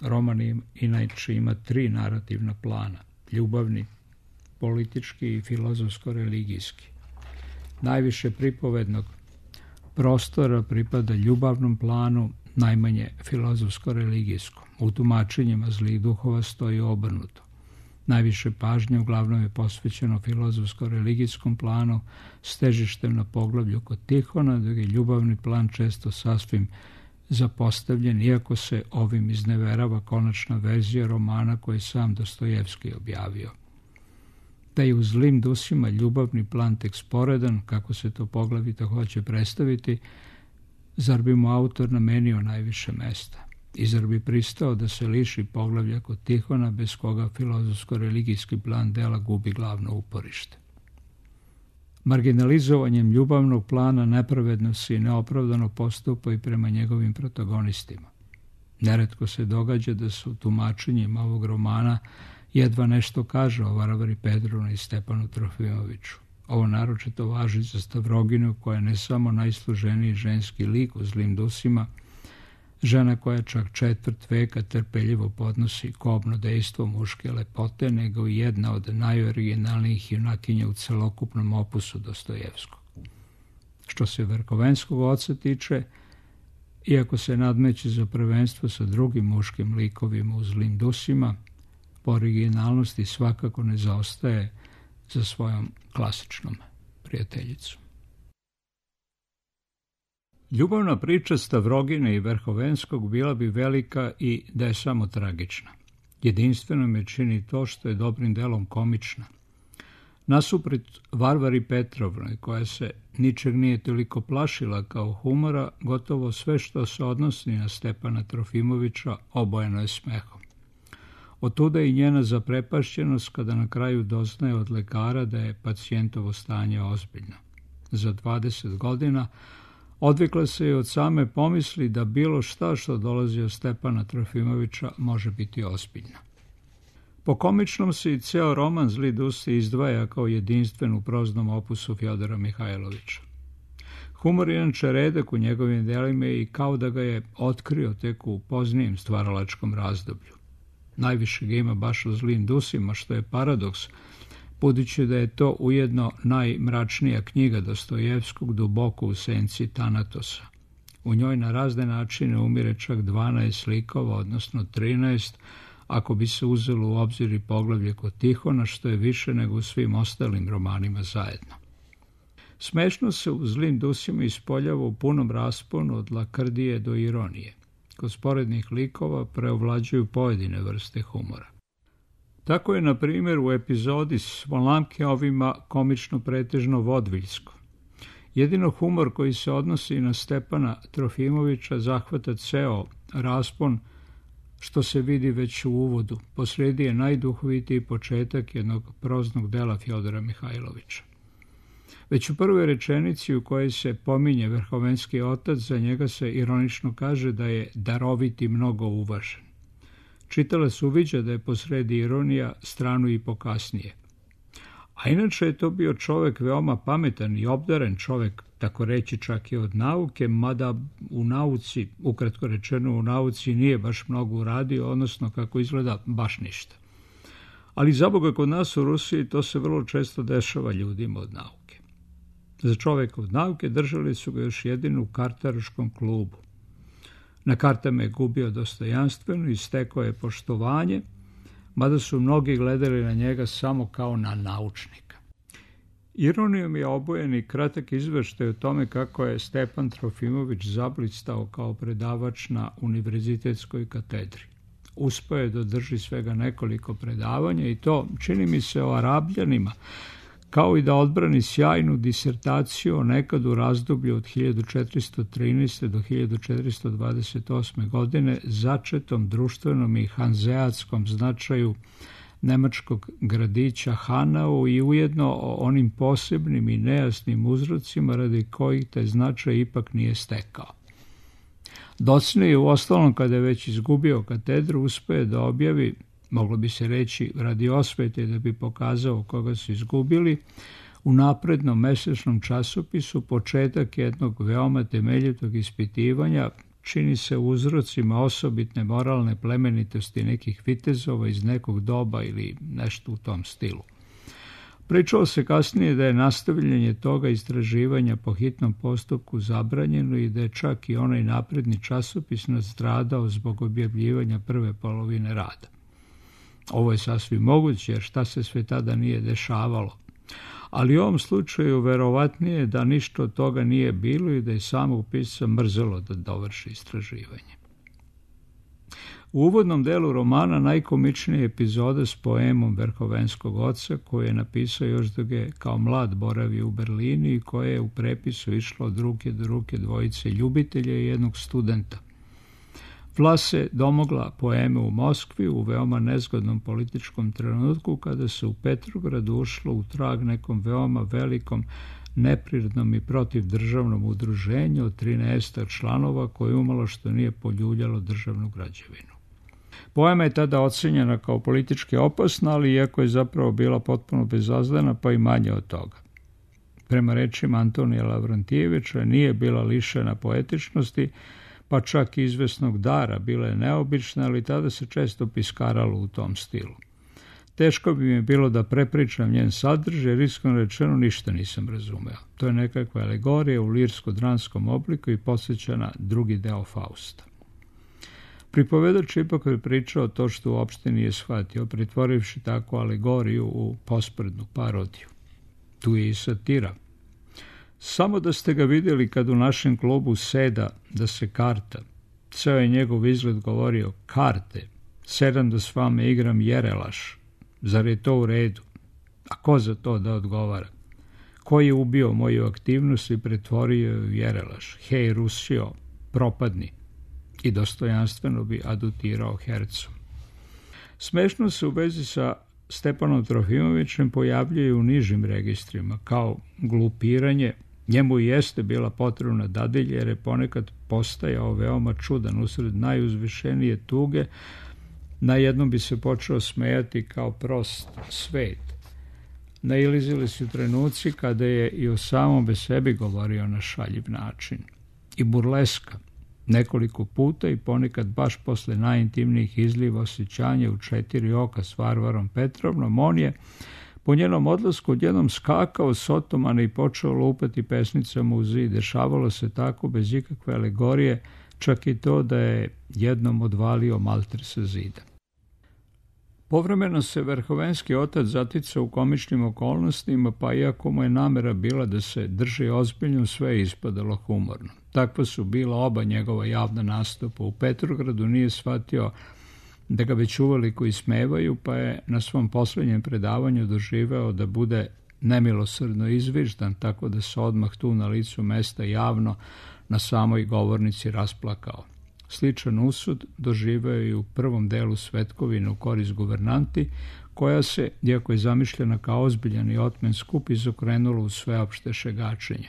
Roman inače ima 3 narativna plana, ljubavni, politički i filozofsko-religijski. Najviše pripovednog prostora pripada ljubavnom planu, najmanje filozofsko-religijskom. U tumačenjima zlih duhova stoji obrnuto. Najviše pažnje uglavnom je posvećeno filozofsko-religijskom planu s težištem na poglavlju kod Tihona, dok je ljubavni plan često sasvim zapostavljen, iako se ovim izneverava konačna verzija romana koji sam Dostojevski objavio. Da je u Zlim dusima ljubavni plan tek sporedan, kako se to poglavito hoće predstaviti, zar bi mu autor namenio najviše mesta? I zar bi pristao da se liši poglavlja kod Tihona, bez koga filozofsko-religijski plan dela gubi glavno uporište? Marginalizovanjem ljubavnog plana nepravedno se i neopravdano postupa i prema njegovim protagonistima. Neretko se događa da su tumačenjima ovog romana jedva nešto kaže o Varvari Petrovni i Stepanu Trofimoviću. Ovo naročito važi za Stavroginu, koja je ne samo najsloženiji ženski lik u Zlim dusima, žena koja čak 1/4 veka trpeljivo podnosi kobno dejstvo muške lepote, nego i jedna od najoriginalnijih junakinja u celokupnom opusu Dostojevskog. Što se Verhovenskog oca tiče, iako se nadmeće za prvenstvo sa drugim muškim likovima u Zlim dusima, po originalnosti svakako ne zaostaje za svojom klasičnom prijateljicom. Ljubavna priča Stavrogine i Verhovenskog bila bi velika i da je samo tragična. Jedinstveno me čini to što je dobrim delom komična. Nasuprot Varvari Petrovnoj, koja se ničeg nije toliko plašila kao humora, gotovo sve što se odnosi na Stepana Trofimovića obojeno je smehom. Otuda i njena zaprepašćenost kada na kraju doznaje od lekara da je pacijentovo stanje ozbiljno. Za 20 godina odvikla se i od same pomisli da bilo šta što dolazi od Stepana Trofimovića može biti ozbiljno. Po komičnom se i ceo roman Zli dusi izdvaja kao jedinstven u proznom opusu Fjodora Mihajlovića. Humor je inače redak u njegovim delima i kao da ga je otkrio tek u poznijem stvaralačkom razdoblju. Najviše ga ima baš u Zlim dusima, što je paradoks, budući da je to ujedno najmračnija knjiga Dostojevskog, duboko u senci Tanatosa. U njoj na razne načine umire čak 12 likova, odnosno 13, ako bi se uzelo u obzir i poglavlje kod Tihona, što je više nego u svim ostalim romanima zajedno. Smešno se u Zlim dusima ispoljava u punom rasponu od lakrdije do ironije. Kod sporednih likova preovlađuju pojedine vrste humora. Tako je, na primjer, u epizodi s Volamkeovima komično pretežno vodviljsko. Jedino humor koji se odnosi na Stepana Trofimovića zahvata ceo raspon, što se vidi već u uvodu. Posredi je najduhovitiji početak jednog proznog dela Fjodora Mihajlovića. Već u prvoj rečenici u kojoj se pominje Verhovenski otac, za njega se ironično kaže da je darovit i mnogo uvažen. Čitalac uviđa da je posredi ironija, stranu i pokasnije. A inače je to bio čovek veoma pametan i obdaren čovek, tako reći čak i od nauke, mada u nauci, ukratko rečeno u nauci, nije baš mnogo uradio, odnosno kako izgleda baš ništa. Ali zaboga kod nas u Rusiji to se vrlo često dešava ljudima od nauke. Za čoveka od nauke držali su ga još jedino u kartaroškom klubu. Na kartama je gubio dostojanstveno i stekao je poštovanje, mada su mnogi gledali na njega samo kao na naučnika. Ironijom je obojen i kratak izveštaj o tome kako je Stepan Trofimović zablistao kao predavač na univerzitetskoj katedri. Uspeo je da održi svega nekoliko predavanja i to, čini mi se, o Arabljanima, kao i da odbrani sjajnu disertaciju nekad u razdoblju od 1413. do 1428. godine začetom društvenom i hanzeatskom značaju nemačkog gradića Hanau i ujedno o onim posebnim i nejasnim uzrocima radi kojih taj značaj ipak nije stekao. Docnije, u ostalom, kada je već izgubio katedru, uspeo da objavi, moglo bi se reći radi osvete da bi pokazao koga su izgubili, u naprednom mesečnom časopisu početak jednog veoma temeljitog ispitivanja, čini se uzrocima osobitne moralne plemenitosti nekih vitezova iz nekog doba ili nešto u tom stilu. Pričalo se kasnije da je nastavljanje toga istraživanja po hitnom postupku zabranjeno i da je čak i onaj napredni časopis nastradao zbog objavljivanja prve polovine rada. Ovo je sasvim moguće, jer šta se sve tada nije dešavalo. Ali u ovom slučaju verovatnije da ništa od toga nije bilo i da je samog pisca mrzelo da dovrši istraživanje. U uvodnom delu romana najkomičnija epizoda s poemom Verhovenskog oca, koju je napisao još dok je kao mlad boravio u Berlini i koje je u prepisu išlo od ruke do ruke dvojice ljubitelja i jednog studenta. Vlast se domogla poeme u Moskvi u veoma nezgodnom političkom trenutku kada se u Petrogradu ušlo u trag nekom veoma velikom neprirodnom i protivdržavnom udruženju od 13 članova koje umalo što nije poljuljalo državnu građevinu. Poema je tada ocenjena kao politički opasna, ali iako je zapravo bila potpuno bezozdana, pa i manje od toga. Prema rečima Antonija Lavrantijevića nije bila lišena poetičnosti, pa čak i izvesnog dara, bila je neobična, ali tada se često piskaralo u tom stilu. Teško bi mi bilo da prepričam njen sadržaj, jer iskreno rečeno ništa nisam razumeo. To je nekakva alegorija u lirsko-dranskom obliku i podsjeća na drugi deo Fausta. Pripovedač ipak je pričao to što uopšte nije shvatio, pretvorivši takvu alegoriju u posprednu parodiju. Tu je i satira. Samo da ste ga vidjeli kad u našem klubu seda da se karta. Ceo je njegov izgled govorio: karte, sedam da s vama igram jerelaš. Zar je to u redu? A ko za to da odgovara? Ko je ubio moju aktivnost i pretvorio ju u jerelaš? Hej, Rusio, propadni. I dostojanstveno bi adutirao hercom. Smešno se u vezi sa Stepanom Trofimovićem pojavljuje u nižim registrima, kao glupiranje. Njemu i jeste bila potrebna dadilja, jer je ponekad postajao veoma čudan usred najuzvišenije tuge. Najednom bi se počeo smejati kao prost svet. Nailazili su trenuci kada je i o samom sebi govorio na šaljiv način. I burleska. Nekoliko puta i ponekad baš posle najintimnijih izliva osjećanja u 4 oka s Varvarom Petrovnom, on je po njenom odlasku odjednom skakao s otomana i počeo lupati pesnicama u zid. Dešavalo se tako bez ikakve alegorije, čak i to da je jednom odvalio malter sa zida. Povremeno se Verhovenski otac zaticao u komičnim okolnostima, pa iako mu je namera bila da se drži ozbiljno, sve je ispadalo humorno. Takva su bila oba njegova javna nastupa. U Petrogradu nije shvatio da ga već uveliko ismevaju, pa je na svom posljednjem predavanju doživeo da bude nemilosrdno izviždan, tako da se odmah tu na licu mesta javno na samoj govornici rasplakao. Sličan usud doživeo je i u prvom delu Svetkovine u korist guvernanti, koja se, iako je zamišljena kao ozbiljan i otmen skup, izokrenula u sveopšte šegačenje.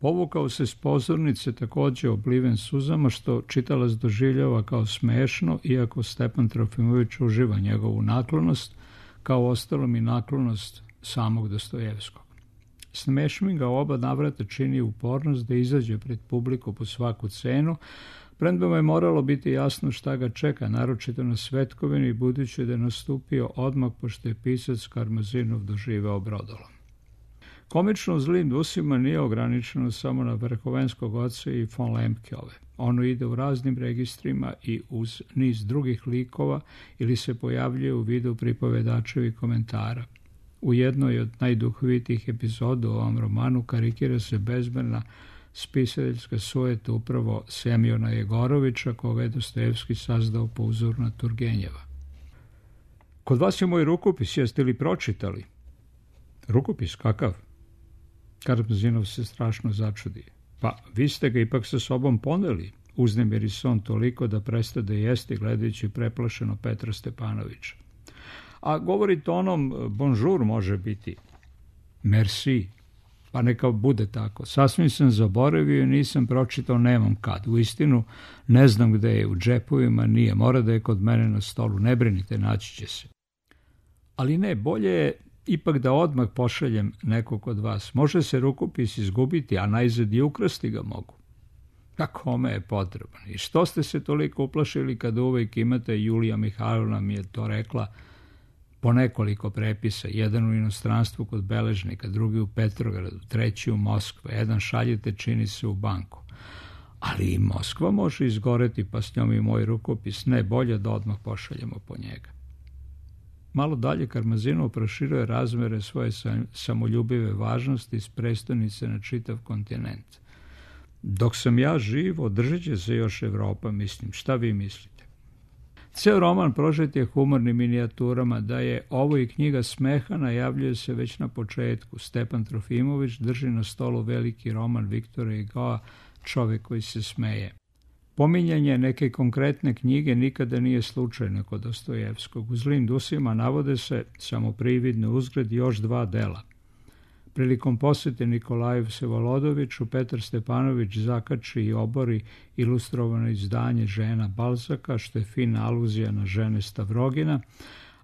Povukao se s pozornice također obliven suzama, što čitalac doživljava kao smešno, iako Stepan Trofimović uživa njegovu naklonost, kao ostalom i naklonost samog Dostojevskog. Smešmi ga oba navrata čini upornost da izađe pred publiku po svaku cenu, premda mu je moralo biti jasno šta ga čeka, naročito na Svetkovini, budući da je nastupio odmah pošto je pisac Karmazinov doživeo brodolom. Komično zlim usima nije ograničeno samo na Verhovenskog oca i von Lemkeove. Ono ide u raznim registrima i uz niz drugih likova ili se pojavljuje u vidu pripovedačevih komentara. U jednoj od najduhovitijih epizoda u ovom romanu karikira se bezmerna spisateljska sujeta upravo Semjona Jegorovića, koga je Dostojevski sazdao po uzoru na Turgenjeva. Kod vas je moj rukopis, jeste li pročitali? Rukopis, kakav? Karmazinov se strašno začudi. Pa, vi ste ga ipak sa sobom poneli, uznemiri se on toliko da prestade jesti gledajući preplašeno Petra Stepanovića. A govorite onom bonjour može biti. Merci. Pa neka bude tako. Sasvim sam zaboravio i nisam pročitao, nemam kad. Uistinu ne znam gde je, u džepovima nije, mora da je kod mene na stolu. Ne brinite, naći će se. Ali ne, bolje je ipak da odmah pošaljem nekog od vas. Može se rukopis izgubiti, a najzad i ukrasti ga mogu. A kome je potreban? I što ste se toliko uplašili kada uvijek imate, Julija Mihajlovna mi je to rekla, po nekoliko prepisa, jedan u inostranstvu kod beležnika, drugi u Petrogradu, treći u Moskvi, jedan šaljete čini se u banku. Ali i Moskva može izgoreti, pa s njom i moj rukopis. Ne, bolje da odmah pošaljemo po njega. Malo dalje Karmazinov proširuje razmere svoje samoljubive važnosti iz prestonice na čitav kontinent. Dok sam ja živ, održat će se još Evropa, mislim. Šta vi mislite? Ceo roman prožet je humornim minijaturama. Da je ovo i knjiga smeha najavljuje se već na početku. Stepan Trofimović drži na stolu veliki roman Viktora Hugoa Čovjek koji se smeje. Pominjanje neke konkretne knjige nikada nije slučajno kod Dostojevskog. U Zlim dusima navode se, samo prividno uzgred, još 2 dela. Prilikom posjete Nikolaju Vsevolodoviću, Petar Stepanović zakači i obori ilustrovano izdanje Žena Balzaka, što je fina aluzija na žene Stavrogina,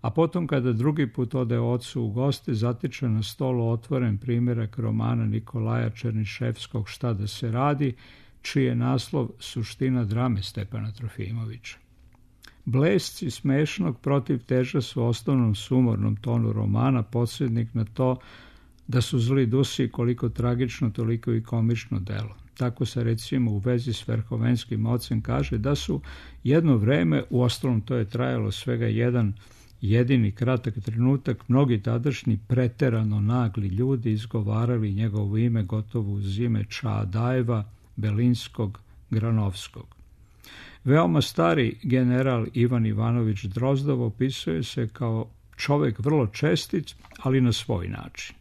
a potom kada drugi put ode ocu u goste, zatiče na stolu otvoren primjerak romana Nikolaja Černiševskog Šta da se radi, čiji je naslov Suština drame Stepana Trofimovića. Blesci smešnog protiv teža su osnovnom sumornom tonu romana podsjetnik na to da su Zli dusi koliko tragično, toliko i komično delo. Tako se recimo u vezi s Verhovenskim ocem kaže da su jedno vreme, uostalom to je trajalo svega jedan jedini kratak trenutak, mnogi tadašnji preterano nagli ljudi izgovarali njegovo ime gotovo uz ime Čaadajeva, Belinskog, Granovskog. Veoma stari general Ivan Ivanović Drozdov opisuje se kao čovjek vrlo čestit, ali na svoj način.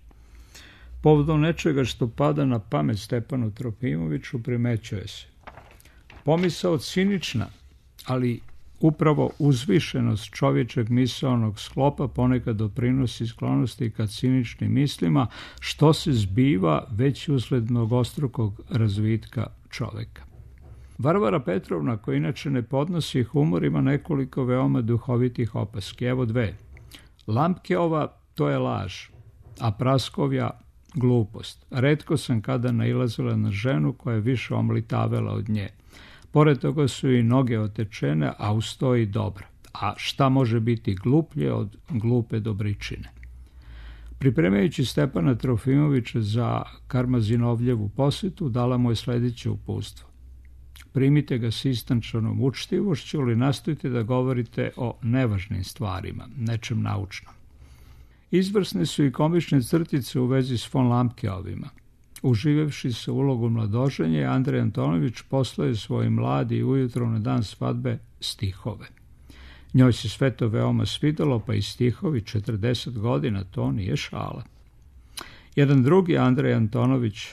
Povodom nečega što pada na pamet Stepanu Trofimoviću primećuje se. Pomisao cinična, ali upravo uzvišenost čovječeg misaonog sklopa ponekad doprinosi sklonosti ka ciničnim mislima, što se zbiva već usled mnogostrukog razvitka čovjeka. Varvara Petrovna, koja inače ne podnosi humor, ima nekoliko veoma duhovitih opaski. Evo 2. Lampkeova, to je laž, a Praskovja, glupost. Retko sam kada nailazila na ženu koja je više omlitavela od nje. Pored toga su i noge otečene, a uz to i dobra. A šta može biti gluplje od glupe dobričine? Pripremajući Stepana Trofimovića za Karmazinovljevu posjetu, dala mu je sljedeće uputstvo. Primite ga s istančanom učtivošću, ali nastojite da govorite o nevažnim stvarima, nečem naučnom. Izvrsne su i komične crtice u vezi s von Lampkeovima. Uživevši se ulogu mladoženje, Andrej Antonović poslao je svoj mladi ujutro na dan svadbe stihove. Njoj se sve to veoma svidelo, pa i stihovi 40 godina, to nije šala. Jedan drugi Andrej Antonović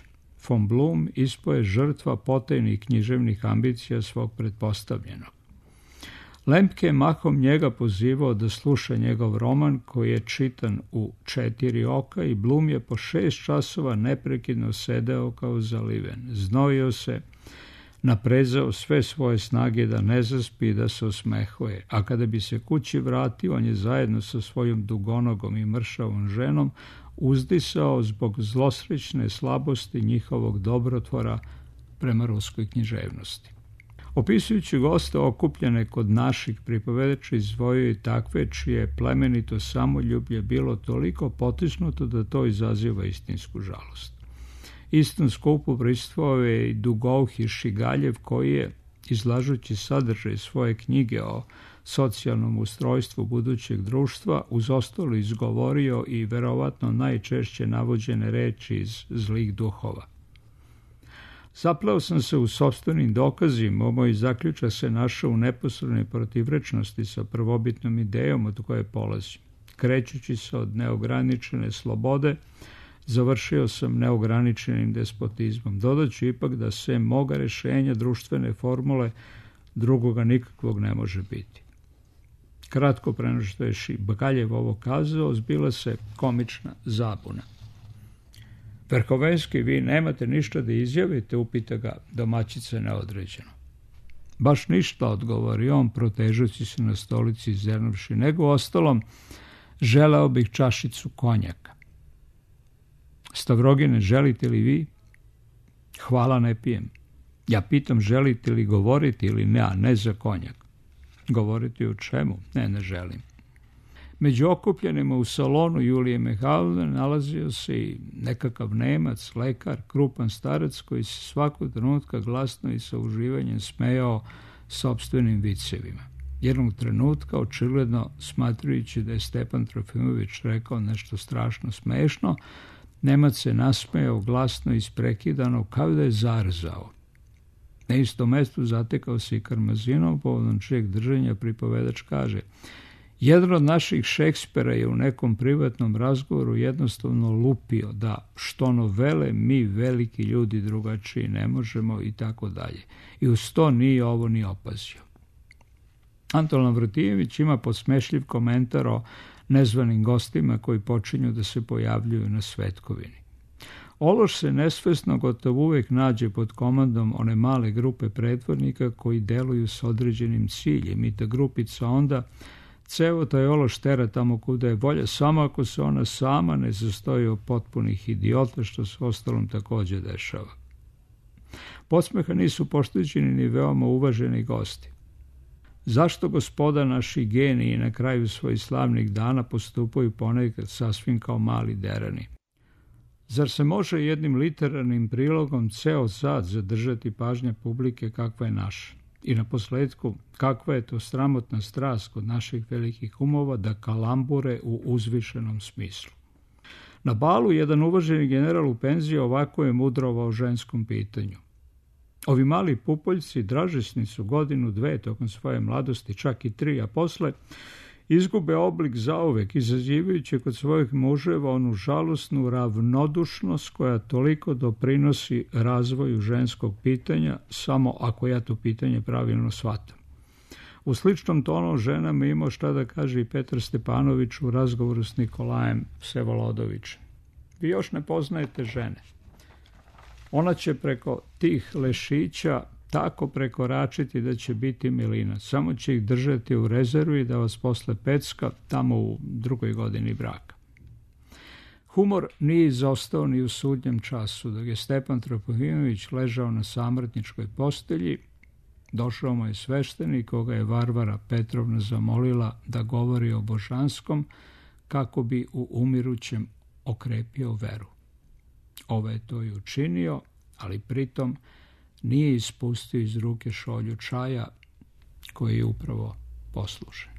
von Blum ispoje žrtva potajnih književnih ambicija svog pretpostavljenog. Lemke je mahom njega pozivao da sluša njegov roman koji je čitan u 4 oka i Blum je po 6 časova neprekidno sedeo kao zaliven. Znojio se, naprezao sve svoje snage da ne zaspi i da se osmehuje, a kada bi se kući vratio, on je zajedno sa svojom dugonogom i mršavom ženom uzdisao zbog zlosrećne slabosti njihovog dobrotvora prema ruskoj književnosti. Opisujući goste okupljene kod naših pripovedača izdvojio i takve čije plemenito samoljublje bilo toliko potisnuto da to izaziva istinsku žalost. Istom skupu prisustvovao je i Dugouhi Šigaljev koji je, izlažući sadržaj svoje knjige o socijalnom ustrojstvu budućeg društva, uz ostalo izgovorio i verovatno najčešće navođene reči iz Zlih duhova. Zapleo sam se u sopstvenim dokazima, moj zaključak se našao u neposrednoj protivrečnosti sa prvobitnom idejom od koje polazim. Krećući se od neograničene slobode, završio sam neograničenim despotizmom. Dodaću ipak da sem moga rešenja društvene formule drugoga nikakvog ne može biti. Kratko pre nego što je Šigaljev ovo kazao, zbila se komična zabuna. Verhovenski, vi nemate ništa da izjavite, upita ga domaćica neodređeno. Baš ništa, odgovori on, protežući se na stolici i zernuvši, nego ostalom želeo bih čašicu konjaka. Stavrogine, želite li vi? Hvala, ne pijem. Ja pitam, želite li govoriti ili ne, a ne za konjak. Govoriti o čemu? Ne želim. Među okupljenima u salonu Julije Mihajlovne nalazio se i nekakav Nemac, lekar, krupan starac koji se svakog trenutka glasno i sa uživanjem smejao sopstvenim vicevima. Jednog trenutka, očigledno smatrajući da je Stepan Trofimović rekao nešto strašno smešno, Nemac se nasmejao glasno i isprekidano kao da je zarzao. Na istom mestu zatekao se i Karmazinov, povodom čijeg držanja pripovedač kaže: Jedan od naših Šekspira je u nekom privatnom razgovoru jednostavno lupio da što novele mi veliki ljudi drugačiji ne možemo i tako dalje. I uz to nije ovo ni opazio. Anton Lavratijević ima podsmešljiv komentar o nezvanim gostima koji počinju da se pojavljuju na svetkovini. Ološ se nesvesno gotovo uvek nađe pod komandom one male grupe pretvornika koji deluju s određenim ciljem i ta grupica onda ceo taj ološ tera tamo kuda je volja, samo ako se ona sama ne sastoji od potpunih idiota, što se ostalom takođe dešava. Podsmeha nisu pošteđeni ni veoma uvaženi gosti. Zašto gospoda naši geniji na kraju svojih slavnih dana postupaju ponekad sasvim kao mali derani? Zar se može jednim literarnim prilogom ceo sad zadržati pažnja publike kakva je naša? I na posledku, kakva je to sramotna strast kod naših velikih umova da kalambure u uzvišenom smislu. Na balu jedan uvaženi general u penziji ovako je mudrovao o ženskom pitanju. Ovi mali pupoljci dražesni su godinu, dve tokom svoje mladosti, čak i 3, a posle izgube oblik zauvek, izazivajući kod svojih muževa onu žalosnu ravnodušnost koja toliko doprinosi razvoju ženskog pitanja, samo ako ja to pitanje pravilno shvatam. U sličnom tonu o ženama imao šta da kaže i Petar Stepanović u razgovoru s Nikolajem Vsevolodovićem. Vi još ne poznajete žene. Ona će preko tih lešića tako prekoračiti da će biti milina. Samo će ih držati u rezervi da vas posle pecka tamo u 2. godini braka. Humor nije izostao ni u sudnjem času. Dok je Stepan Tropofimović ležao na samrtničkoj postelji, došao mu je sveštenik koga je Varvara Petrovna zamolila da govori o božanskom kako bi u umirućem okrepio veru. Ovo je to i učinio, ali pritom nije ispustio iz ruke šolju čaja koji je upravo poslušan.